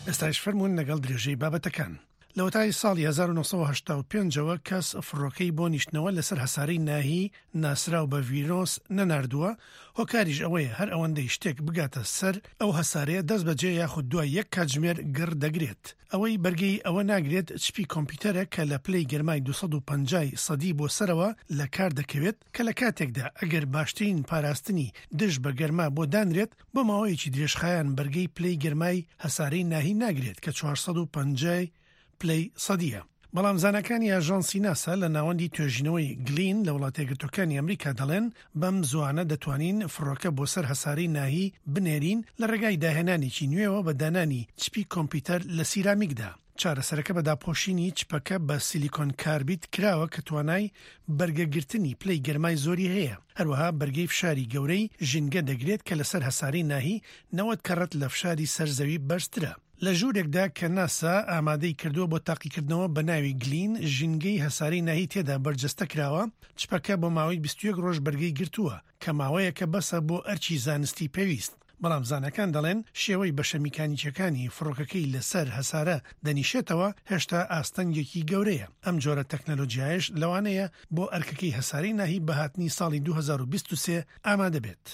ئێستاش فەرموون لەگەڵ درێژەی بابەتەکان. لە وەتای ساڵی هەزار و نۆ سەد و هەشتا و پێنج ەوە کەس فڕۆکەی بۆ نیشتنەوە لەسەر هەسارەی ناهی ناسراو بە ڤینۆس نەناردووە. هۆکاریش ئەوەیە هەر ئەوەندەی شتێک بگاتە سەر ئەو هەسارەیە دەست بەجێ یاخود دوای یەک کاتژمێر گڕ دەگرێت. ئەوەی بەرگەی ئەوە ناگرێت چپی کۆمپیوتەرە کە لە پلەی گەرمای دوو سەد و پەنجا ی سەدی بۆ سەرەوە لە کار دەکەوێت، کە لە کاتێکدا ئەگەر باشترین پاراستنی دژ بە گەرما بۆ دانرێت، بۆ ماوەیەکی درێژخایەن بەرگەی پلەی گەرمای هەسارەی ناهی ناگرێت کە چوار سەد و پەنجا ی پلەی سەدیە. بەڵام زاناکانی ئاژانسی ناسا لە ناوەندی توێژینەوەی گلین لە وڵاتە یەکگرتووەکانی ئەمریکا دەڵێن بەم زوانە دەتوانین فڕۆکە بۆ سەر هەسارەی ناهی بنێرین لە ڕێگای داهێنانێکی نوێوە بە دانانی چپی کۆمپیوتەر لە سیرامیکدا. چارەسەرەکە بە داپۆشینی چپەکە بە سیلیکۆن کاربید کراوە کە توانای بەرگەگرتنی پلەی گەرمای زۆری هەیە. هەروەها بەرگەی فشاری گەورەی ژینگە دەگرێت کە لەسەر هەسارەی ناهی نەوەد کەڕەت لە فشاری سەر زەوی بەرزترە. لە ژوورێکدا کە ناسا ئامادەی کردووە بۆ تاقیکردنەوە بە ناوی گلین، ژینگەی هەسارەی ناهی تێدا بەرجەستە کراوە. چپەکە بۆ ماوەی بیست و یەک ڕۆژ بەرگەی گرتووە، کە ماوەیەکە بەسە بۆ ئەرکی زانستی پێویست. بەڵام زانەکان دەڵێن شێوەی بەشە میکانیکیەکانی فڕۆکەکەی لەسەر هەسارە دەنیشێتەوە هێشتا ئاستەنگێکی گەورەیە. ئەم جۆرە تەکنەلۆجیایش لەوانەیە بۆ ئەرکەکەی هەسارەی ناهی بەهاتنی ساڵی دوو هەزار و بیست و سێ ئامادە بێت.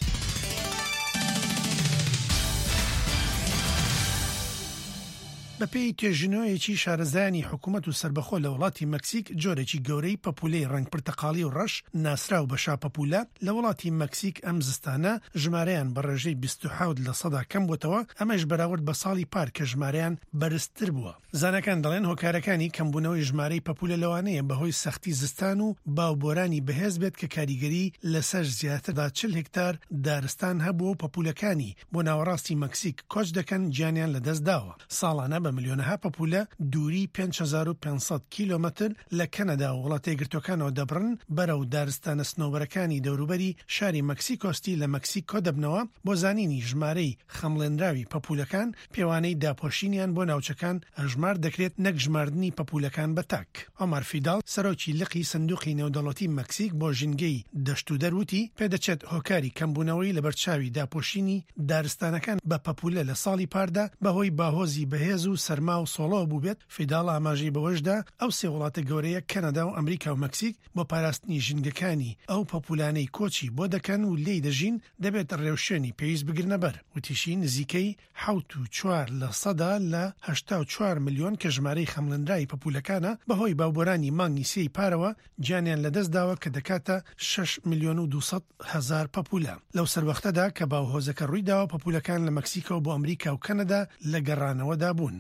بە پێی توێژینەوەیەکی شارەزایانی حکوومەت و سربەخۆ لە وڵاتی مەکسیک، جۆرێکی گەورەی پەپولەی ڕەنگ پرتەقاڵی و ڕەش، ناسراو بە شاپەپولە، لە وڵاتی مەکسیک ئەم زستانە ژمارەیان بە ڕێژەی بیست و حەوت لە سەدا کەم بووەتەوە، ئەمەش بەراورد بە ساڵی پار کە ژمارەیان بەرزتر بووە. زانەکان دەڵێن هۆکارەکانی کەمبوونەوەی ژمارەی پەپولە لەوانەیە بەهۆی سەختی زستان و باوبۆرانی بەهێز بێت کە کاریگەری لەسەر زیاتر لە چل هێکتار دارستان هەبووە و پەپولەکانی بۆ ناوەڕاستی مەکسیک کۆچ دەکەن، گیانیان لەدەست داوە. ساڵانە بە ملیۆنەها پەپولە دووری پێنج هەزار و پێنج سەد کیلۆمەتر لە کەنەدا و وڵاتە یەکگرتووەکانەوە دەبڕن، بەرەو دارستانە سنەوبەرەکانی دەوروبەری شاری مەکسیکۆ ستی لە مەکسیکۆ دەبنەوە. بۆ زانینی ژمارەی خەمڵێنراوی پەپولەکان، پێوانەی داپۆشینیان بۆ ناوچەکان هەژمار دەکرێت، نەک ژماردنی پەپولەکان بە تاک. ئۆمار فیداڵ، سەرۆکی لقی سندوقی نێودەوڵەتی مەکسیک بۆ ژینگەی دەشت و دەروتی، پێدەچێت هۆکاری کەمبوونەوەی لە بەرچاوی داپۆشینی دارستانەکان بە پەپولە لە ساڵی پاردا بەهۆی باهۆزی بەهێز و سەرما و سۆڵەوە بووبێت. فیداڵ ئاماژەی بەوەشدا، ئەو سێ وڵاتە گەورەیە کەنەدا و ئەمریکا و مەکسیک بۆ پاراستنی ژینگەکانی ئەو پەپولانەی کۆچی بۆ دەکەن و لێی دەژین، دەبێت ڕێوشوێنی پێویست بگرنە بەر. وتیشی نزیکەی حەوت و چوار لە سەدا لە هەشتا و چوار ملیۆن کە ژمارەی خەمڵێنراوی پەپولەکانە، بەهۆی باوبۆرانی مانگی سێی پارەوە گیانیان لەدەست داوە، کە دەکاتە شەش ملیۆن و دوو سەد هەزار پەپولە. لەو سەروەختەدا کە باوهۆزەکە ڕووی داوە، پەپولەکان لە مەکسیکۆ بۆ ئەمریکا و کەنەدا لە گەڕانەوەدا بوون.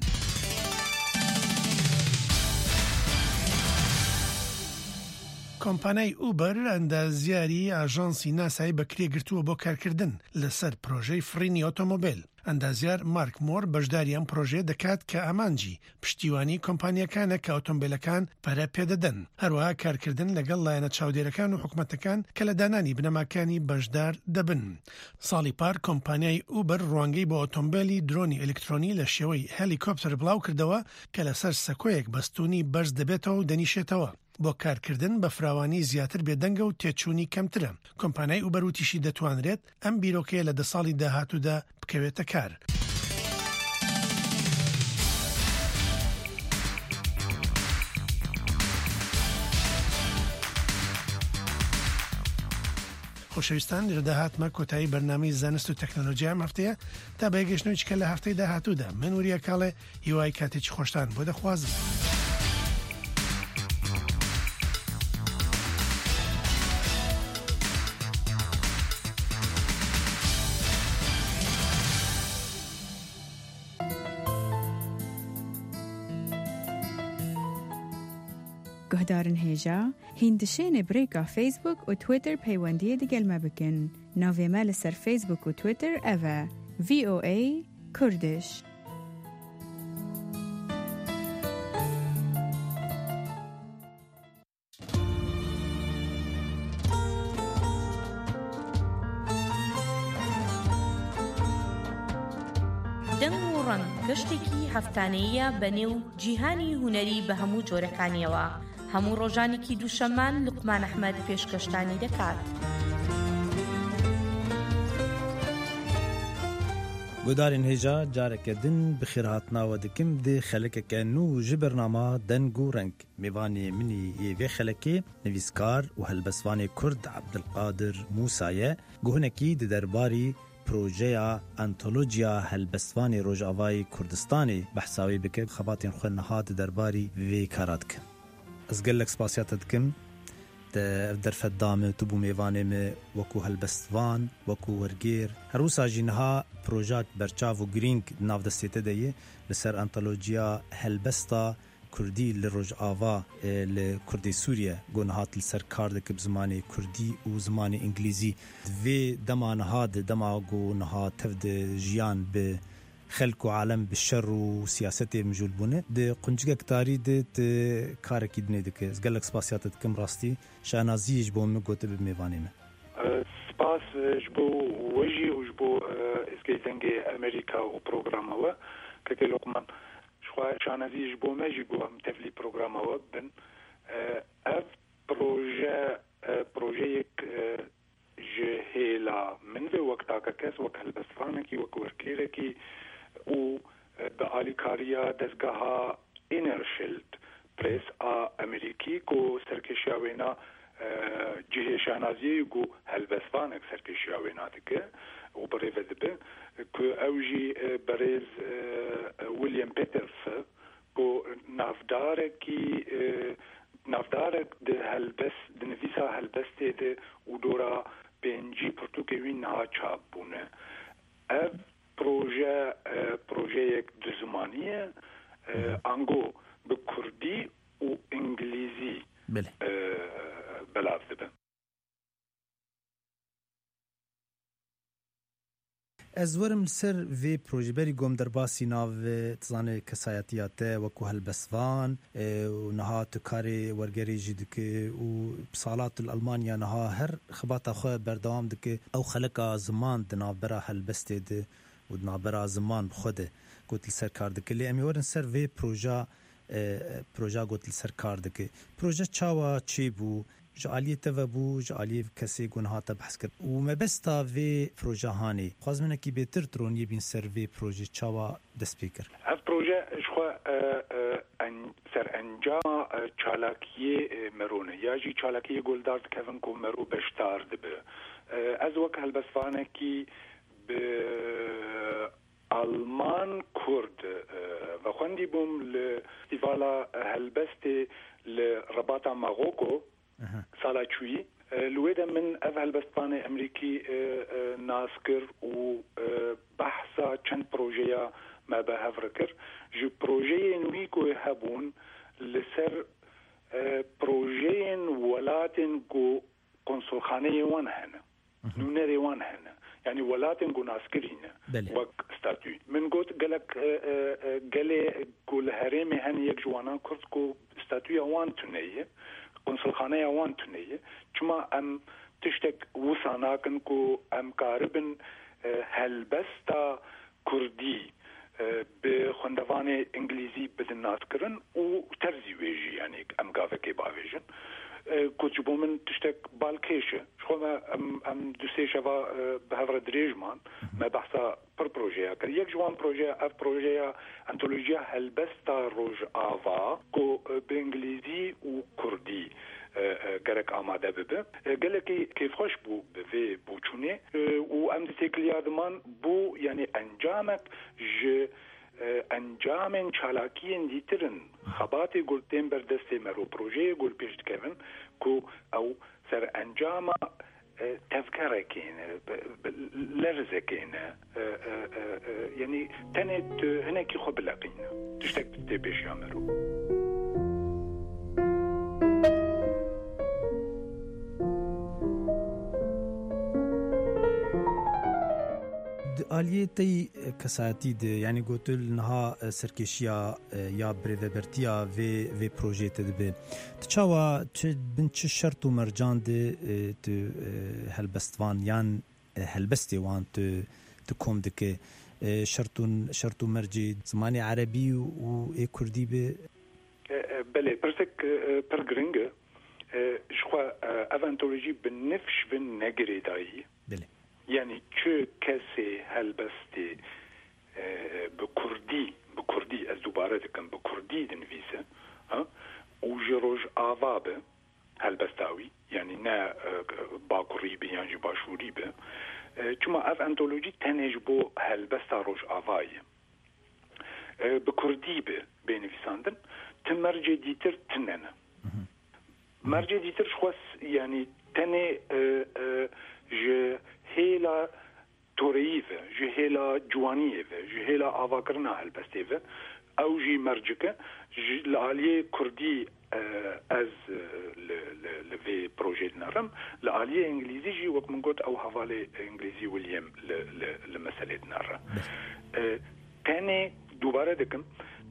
کۆمپانای ئوبەر ئەندازیاری ئاژانسی ناسای بەکرێ گرتووە بۆ کارکردن لەسەر پرۆژەی فڕینی ئۆتۆمۆبیل. ئەندازیار مارک مۆر بەشداری ئەم پرۆژەیە دەکات کە ئامانجی پشتیوانی کۆمپانیەکانە کە ئۆتۆمبیلەکان پەرە پێدەدەن. هەروەها کارکردن لەگەڵ لایەنە چاودێرەکان و حکومەتەکان کە لە دانانی بنەماکانی بەشدار دەبن. ساڵی پار کۆمپانیای ئوبەر ڕوانگەی بۆ ئۆتۆمبیلی درۆنی ئەلکترۆنی لە شێوەی هەلیکۆپتەر بڵاو کردەوە کە لەسەر سەکۆیەک بەستونی بەرز دەبێتەوە و دەنیشێتەوە. بۆ کارکردن بە فراوانی زیاتر بێدەنگە و تێچوونی کەمترە. کۆمپانیای ئوبەر وتیشی دەتوانرێت ئەم بیرۆکەیە لە دە ساڵی داهاتوودا بکەوێتە کار. خۆشەویستان، لێرەدا هاتمە کۆتایی بەرنامەی زانست و تەکنۆلۆژیا ئەم هەفتەیە. تا بەیەگەشتنەوەی چکە لە هەفتەی داهاتوودا، من وریا کاڵێ هیوای کاتێکی خۆشتان بۆ دەخوازم. Guhdarên hêja, hîn dişênê bi rêka Facebook û Twitter peywendiyê digel me bikin. Navê me li ser Facebook û Twitter ev e, V O A Kurdish. دەنگ و ڕەنگ گەشتێکی هەفتانەییە بە نێو جیهانی هونەری بە هەموو جۆرەکانیەوە. هەموو ڕۆژانێکی دووشەممان لوقمان ئەحمەد پێشکەشتانی دەکات. Guhdarên hêja, careke din bi xêrhatina we dikim di xelekeke nû ji bernama Deng û Reng. Mêvanê min î yê vê xelekê nivîskar û helbestvanê Kurd Abdilqadir Mûsa ye. Ku hinekî di derbarî projeya Antolojiya Helbestvanê Rojavayê Kurdistanê behsa wê bike, xebatên xwe niha di derbarî vê kara dike. Ez gelek spasiya te dikim. Te ev derfet da min, tu bû mêvanê min wekû helbestvan, wekû wergêr. Her wisa jî niha projak berçav û girîng di nav destê te de ye. Li ser antolojiya helbesta Kurdî li Rojava, e, li Kurdê Sûriye, ku niha tu li ser kar dike bi zimanê Kurdî û zimanê Îngilîzî. Di vê dema niha de, dema ku niha tev de jiyan bi xelk û alem bi şer û siyasetê mijûl bûne, di quncikek tarî de tu karekî dinê dike. Ez gelek spasiya te dikim rastî. Şanazî ji bo min got tu bi mêvanê me. Spas ji bo we jî û ji bo, e, Êzgê Dengê Amerîka û programa we. Kekê Lokman, ji xwe şanazî ji bo me jî ku em tevlî programa we bibin. E, ev proje, e, projeyek, e, ji hêla min ve wek takekes, wek helbestvanekî, wek wergêrekî û, e, bi alîkariya dezgeha Inner Shield Press a Amerîkî ku serkêşiya wêna, e, cihê şanaziyê ku helbestvanek serkêşiya wêna dike û bi rê ve dibe, ku ew jî, e, berêz, e, William Peters e, ku navdarekî, e, navdarek di helbest, di nivîsa helbestê de û dora pêncî pirtûkê wî niha çap bûne. Ev proje, e, projeyek du zimanî ye, e, Hı hı. ango bi kurdî û îngilîzî, Belê. e, belav dibe. Ez werim li ser vê projê, berî gom derbasî nav, e, tu zanê kesayetiya te wekû helbestvan, e, û niha tu karê wergerê jî dike û bi sala tu li Almanya niha her xebata xwe berdewam dike. Ew xeleka ziman di navbera helbestê de û di navbera ziman bi xwe de got li ser kar dike. Lê em ê werin ser vê proja, e, proja got li ser kar dike. Proje çawa çêbû? Ji aliyê te ve bû, ji aliyê kesê ku niha te behs kir. Û mebesta vê proje hanê. Xwazim hinekî bêtir tu roniyê bîn ser vê projê çawa dest pê kir? Ev proje ji xwe, e, e, en-, serencama, e, çalakiyê, e, mero ne. Ya jî çalakiyê guldar dikevin ku mero beşdar dibe. E, ez wek helbestvanekî bi Alman Kurd, e, vexwendî bûm li Festîvala Helbestê li Rebata Magoko Aha. sala çûyî. E, li wê de min ev helbestvanê Emerîkî, e, e, nas kir û, e, behsa çend projeya me bi hev re kir. Ji projeyên wî ku hebûn li ser, e, projeyên welatên ku konsulxaneyê wan hene, Mhm. nûnerê wan hene. Yanî welatên ku naskirî ne Belê. wek statû. Min got gelek, e, e, e, gelê ku li herêmê hene, yek ji wanan Kurd ku statûya wan tune ye, konsulxaneya wan tune ye. Çima em tiştek wisa nakin ku em karibin, e, helbesta Kurdî, e, bi xwendevanê Îngilîzî bidin naskirin û terzî wê jî, yanî em gavekê bavêjin, e, ku ji bo min tiştek balkêş e. Ji xwe me em, em du sê şeva, e, bi hev re dirêj man. Me behsa pir projeya kir. Yek ji wan projeya, ev projeya antolojiya helbesta Rojava ku, e, bi Îngilîzî û Kurdî, e, e, gerek amade bibe. E, gelekî kêfxweş bû bi vê boçûnê, e, û em di têkiliya diman bû, yanî encamek ji, e, encamên çalakiyên dîtir in, xebatê ku tên ber destê me ro, projeyê ku li pêş dikevin, ku ew serencama, e, tevgerekê ne, bi, bi, lerzekê ne, e, e, e, e, yanî tenê tu hinekî xwe bileqîne. Tiştek tê pêşiya me ro. Di aliyê te yî, e, kesayetî de, yanî gotil niha, e, serkêşiya, e, ya birêvebertiya vê, vê projeyê te dibe. Tu çawa, çi, bin çi şert û mercan de, e, tu, e, helbestvan yan, e, helbestê wan tu, tu kom dike? E, şert û, şert û mercê zimanê erebî û ê kurdî be? E, e, belê, pirsek, e, e, pir giring e. E, ji xwe, e, ev antolojî bi nifş bin negirêdayî. Belê. Yanî çi kesê helbestê, e, bi kurdî, bi kurdî, ez dubare dikim, bi kurdî dinivîse, ha? Û ji Rojava be, helbesta wî, yanî ne, e, bakurî be yan jî başûrî be. E, çima ev antolojî tenê ji bo helbesta Rojava ye. E, bi kurdî be bê nivîsandin, ti mercê dîtir tune ne. Mhm. Mercê dîtir ji xwe s-, yanî tenê, e, e, ji hêla toreyî ve, ji hêla ciwaniyê ve, ji hêla avakirina helbestê ve, ew jî mercik e. Ji, li aliyê kurdî, e, ez, e, li, li, li vê projeyê dinerim. Li aliyê îngilîzî jî, wek min got, ew hevalê îngilîzî William li, li, li meselê dinere. E, tenê, dubare dikim,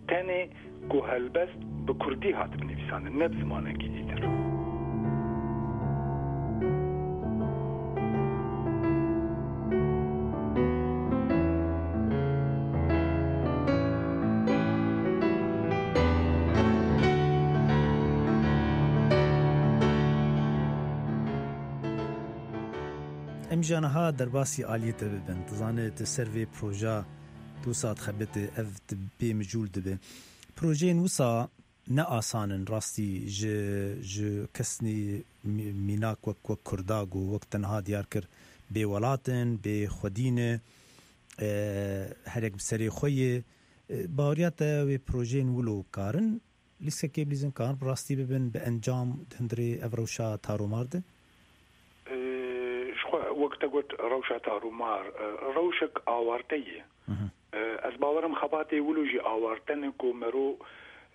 tenê ku helbest bi kurdî hatibin nivîsandin, ne bi zimanekî dîtir. Em ji niha derbasî aliyê te bibin. Tu zanî, tu ser vê proja tu wisa dixebitî, ev tu bê mijûl dibe. Projeyên wisa ne asan in rastî ji, ji kesnî mî-, mînak wek, wek Kurda ku wek te niha diyar kir, bê welat in, bê xwedî ne, e, her yek bi serê xwe ye. E, baweriya te wê projeyên wilo karin lîstekê bilîzin, karin bi rastî bibin bi encam di hundirê ev rewşa taromar de? E, ji xwe wek te got rewşa taromar, e, rewşek awarte ye. Mhm. E, ez bawerim xebatê wilo jî awarte ne ku mero,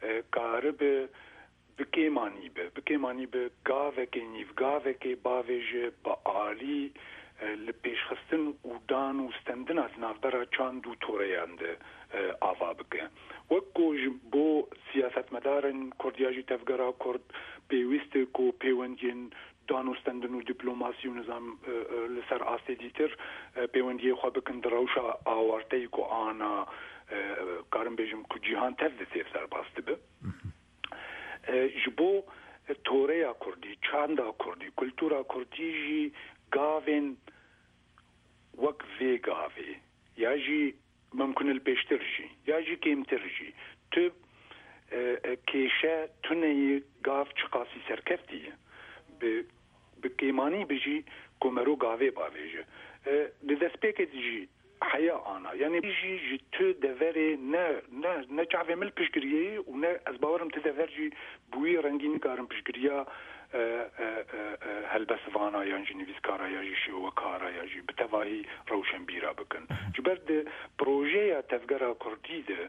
e, karibe bi kêmanî be, bi kêmanî be gavekê, nîvgavekê bavêje bi alî, e, li pêşxistin û dan û stendina di navbera çand û toreyan de, e, ava bike. Wek ku ji bo siyasetmedarên Kurd ya jî tevgera Kurd pêwîst e ku pêwendiyên dan û stendin û dîplomasî û nizam, e, e, li ser astê dîtir, e, pêwendiyê xwe bikin di rewşa awarteyî ku ana, e, karim bêjim ku cîhan tev di sêr serbaz dibe. E, ji bo toreya Kurdî, çanda Kurdî, kultura Kurdî jî gavên wek vê gavê ya jî mimkun e li pêştir jî, ya jî kêmtir jî. Tu, e, e, kêşe tuneyî gav çiqasî serkeftî ye. Bi, bi kêmanî bijî ku mero gavê bavêje. E, di destpêkê de jî heya ana. Yanî jî ji tu deverê ne, ne, ne çavê min li piştgiriyê ye û ne ez bawerim tu dever jî bi wî rengî nikarin piştgiriya, e, e, e, e, helbestvana yan jî nivîskara ya jî şêwekara ya jî bi tevahî rewşenbîra bikin. Ji ber di projeya Tevgera Kurdî de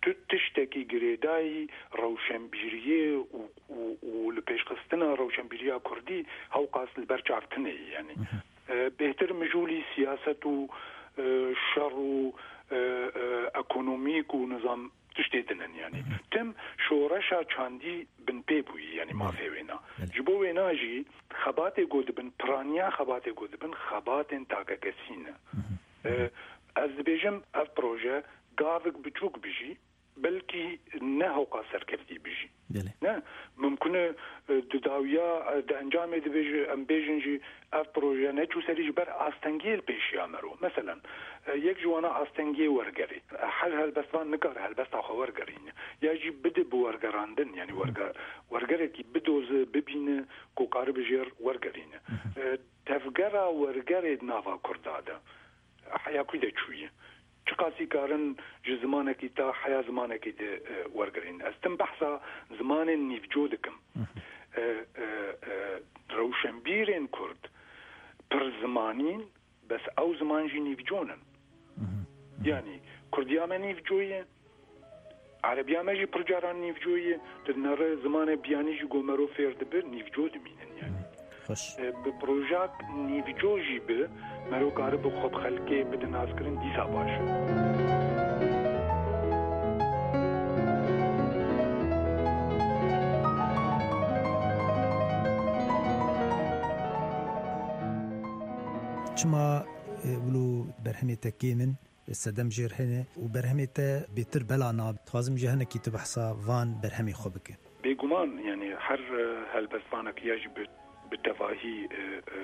tu tiştekî girêdayî rewşenbîriyê û, û, û li pêşxistina rewşenbîriya Kurdî hewqas li ber çav tune ye, yanî. E, bêhtir mijûlî siyaset û, e, şer û, e, e, ekonomîk û nizam tiştê din in, yanî. Tim şoreşa çandî binpê bûyî, yanî mafê wêna. Belê. Ji bo wêna jî xebatê ku dibin, piraniya xebatê ku dibin, xebatên takekesî ne. E, ez dibêjim, ev proje gavik biçûk bijî, belkî ne hewqa serkeftî bijî. Belê. Ne, mimkun e, e, di dawiya, e, di encamê dibêje, em bêjin jî ev proje neçû serî ji ber astengiyê li pêşiya me ro. Meselen, e, yek ji wana astengiyê wergerê. E, her helbestvan nikare helbesta xwe wergerîne. Ya jî bide bi wergerandin, yanî werge-, wergerekî bidoze, bibîne ku karibe jêr wergerîne. E, tevgera wergerê di nava Kurda de heya kû de çûye. Çiqasî karin ji zimanekî ta heya zimanekî de, e, wergerîn. Ez tim behsa zimanên nîvco dikim. E, e, e, rewşenbîrên Kurd pir zimanîn, bes ew ziman jî nîvco nin. Yanî Kurdiya me nîvco ye, Erebiya me jî pir caran nîvco ye. Tu dinere zimanê biyanî jî ku mero fêr dibe, nîvco dimînin yanî. Xweş. E, bi projak nîvco jî bi, mero karibe xwe bi xelkê bide naskirin, dîsa baş e. Çima, e, wilo berhemê te kêm in? Sedem jêr hene û berhemê te bêtir bela nabe. Dixwazim ji hinekî tu behsa van berhemê xwe bike. Bêguman, yanî her, e, helbestvanek ya jî bi, bi tevahî, e, e,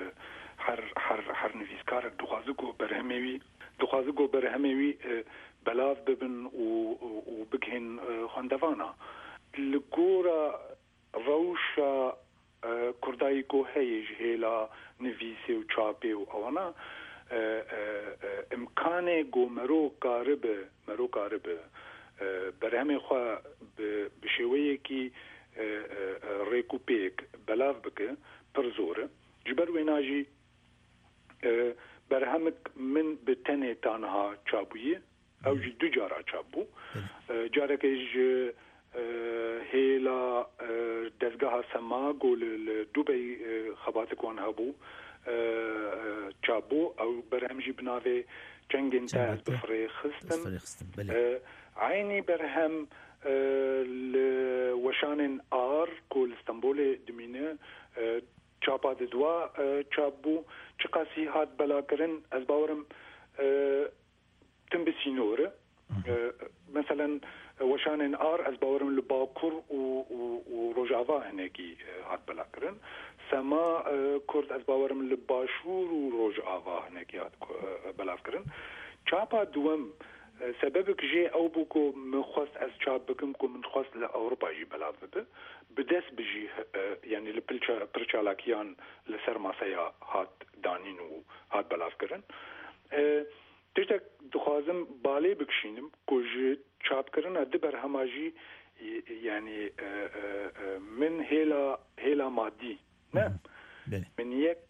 her, her, her nivîskarek dixwaze ku berhemê wî, dixwaze ku berhemê wî, e, belav bibin û, û, û bigihên, e, xwendevana. Li gora rewşa, e, Kurdayî ku heye ji hêla nivîsê û çapê û ewana, e, e, e, imkanê ku mero karibe, mero karibe, e, berhemê xwe bi, bi şêweyekî, e, e, e, rêk û pêk belav bike, pir zor e. Ji ber wêna jî, e, berhemik min bi tenê tanha çapbûye. Ew jî du cara çap bû. Belê. E, carekê ji, e, hêla, e, dezgeha Sema ku li, li Dubey, e, xebatik wan hebû, e, e, çap bû. Ew berhem jî bi navê Çengên Te Çengên ez bi Te firê ez xistim. Firê xistim, belê. E, eynî berhem, e, li weşanên Ar ku li Stenbolê dimîne, e, çapa didwa, e, çap bû. Çiqasî hat belakirin, ez bawerim, e, tim bi sînor e. E, meselen, weşanên Ar, ez bawerim li Bakur û, û, û Rojava hinekî, e, hat belakirin. Sema, e, Kurd, ez bawerim li Başûr û Rojava hinekî hat, e, belavkirin. Çapa duwem, E, sebebek jê ew bû ku min xwest ez çap bikim ku min xwest li Ewropa jî belav bibe. Bi dest bi jî, e, yanî li pil ça-, pir çalakiyan li ser maseya hat danîn û hat belavkirin. E, tiştek dixwazim balê bikişînim ku ji çapkirina di berhema jî, y-, yanî, e, e, e, min hêla, hêla madî ne. Hı hı. Belê. Min yek,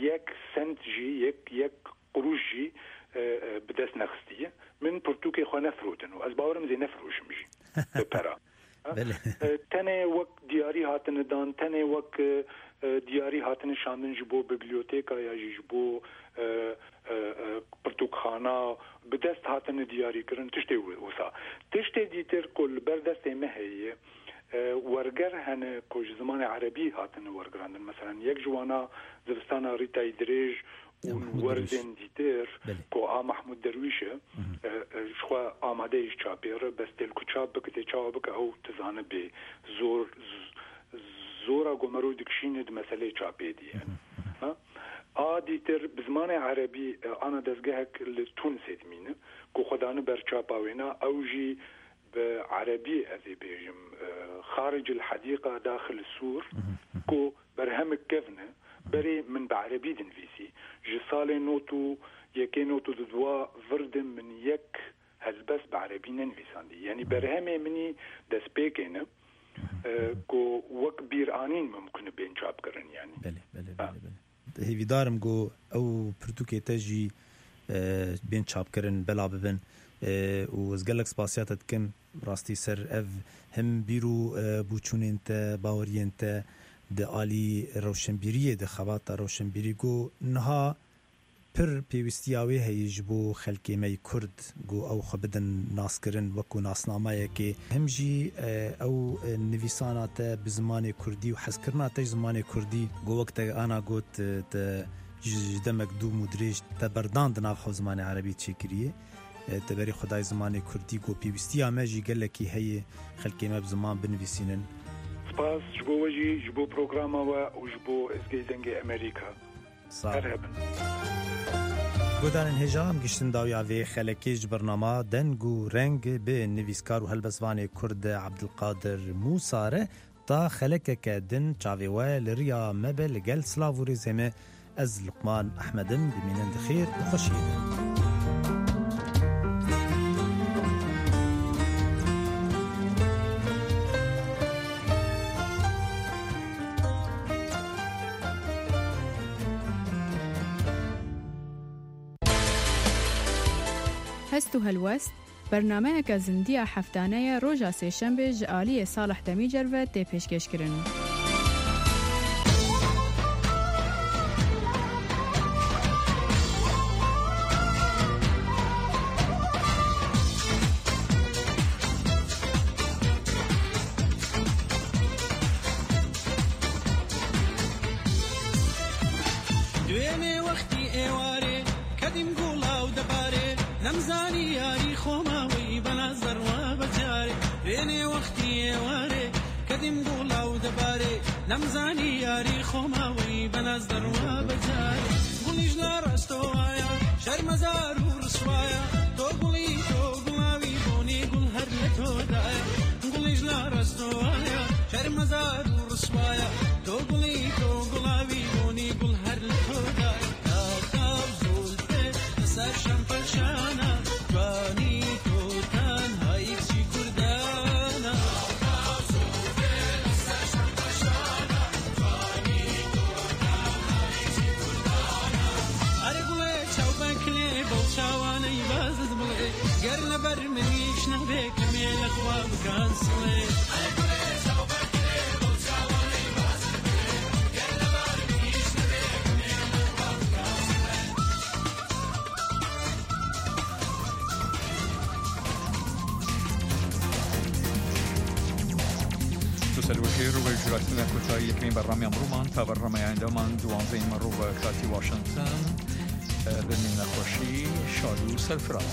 yek sent jî, yek, yek quruş jî, e, e, bi dest nexistiye. Min pirtûkê xwe nefirotin û ez bawerim zê nefiroşim jî bi pera. Belê. E, tenê wek diyarî hatine dan, tenê wek, e, e, diyarî hatine şandin ji bo bibliyoteka ya jî ji bo, e, e, e, pirtûkxana bi dest hatine diyarî kirin, tiştê wi-, wisa. Tiştê dîtir ku li ber destê me heye, e, werger hene ku ji zimanê erebî hatine wergirandin. Meselan, yek ji wana Zivistana Rîtayî Dirêj û Ya Mahmûd werdên Derwîş. dîtir Belê. ku a Mahmûd Derwîş e, Hı hı. e, e, ji xwe amade ye ji çapê re, bes tê li ku çap bike, tê çawa bike, ew dizane bê zor, z-, zora ku mero dikişîne di meseleyê çapê dî ye. Hı hı, hı hı. Ha? A dîtir bi zimanê erebî, e, ana dezgehek li Tunisê dimîne, ku xwe dane ber çapa wêna, ew jî bi erebî ez ê bêjim, e, Xaricil Hedîqa Daxil Sûr, Hı hı, hı hı. ku berhemik kevn e, berê min bi erebî dinivîsî. Ji salê not û yekê not û dudwa vir de min yek helbest bi erebî nenivîsandî. Yanî Hı. berhemê min î destpêkê ne, Hı hı, e, hı hı. ku wek bîranîn mimkun e bên çapkirin yanî. Belê, belê, Ha. belê, belê. Hêvîdar im ku ew pirtûkê te jî, e, bên çapkirin, bela bibin. E, û ez gelek spasiya te dikim. Rastî ser ev him bîr û, e, bûçûnên te, baweriyên te di alî rewşenbîriyê de, xebata rewşenbîrî ku niha pir pêwîstiya wê heye ji bo xelkê me yê Kurd, ku ew xwe bidin naskirin wekû nasnameyekê. Him jî, e, ew, e, nivîsana te bi zimanê Kurdî û hezkirina te ji zimanê Kurdî, ku wek te ana got, e, te ji, ji demek dûm û dirêj te berdan di nav xwe zimanê Erebî çêkiriye. E, te berî xwe dayê zimanê Kurdî, ku pêwîstiya me jî gelekî heye xelkê me bi ziman binivîsînin. Spas ji bo we jî, ji bo programa we û ji bo Êzgehê Dengê Amerîka. Sağ ol. Her hebin. Guhdarên hêja, em giştin dawiya vê xelekê ji bernama Deng û Reng bi nivîskar û helbestvanê Kurd Abdulkadir Musa re. Ta xelekeke din çavê we li riya me be, li gel silav û rêzê me. Ez Luqman Ehmed im, bimînin di xêr û xweşiyê de. Hest û helwest, bernameyeke zindiya heftane ye, roja sêşembê ji aliyê Salih Demîcer ve tê pêşkêşkirin. Duêmê wextî êwarê, kedîm gula û debarê, nemzanî yarî xoma wî bena zerwa becarê. Duêmê wextî êwarê, kedîm gula û debarê, nemzanî yarî xoma wî bena zerwa becarê. Gulî ji la resto waya, şermezar û riswaya, to gulî, to gula wî bonî gul her li to daya. Gulî ji la resto waya, şermezar û riswaya, to gulî, to gula wî bonî gul her li to daya. Tav, tav, zulfê, li ser şempeşana, ciwanî to tenha yek jî kurdana. Are gulê çawbekilê, bol çawanê bazid bulê. Ger li ber min îş nebe, kimê li xwe bikan silê. Tu ser wekê rûvê jûratina kotayî yekemîn bernameya mirûman ta bernameya endaman duwanzeyên me rûve katî Washington. Bimîne xweşî, şad û serfiraz.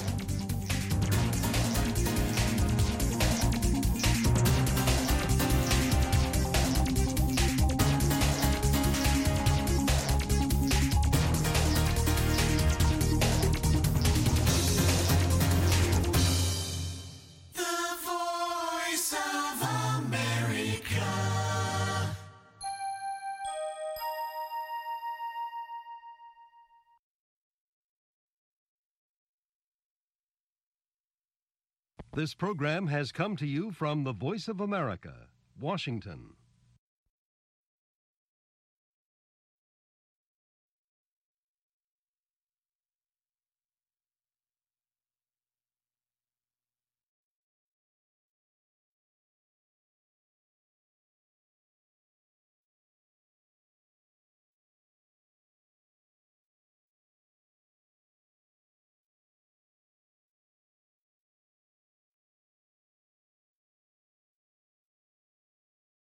This program has come to you from the Voice of America, Washington.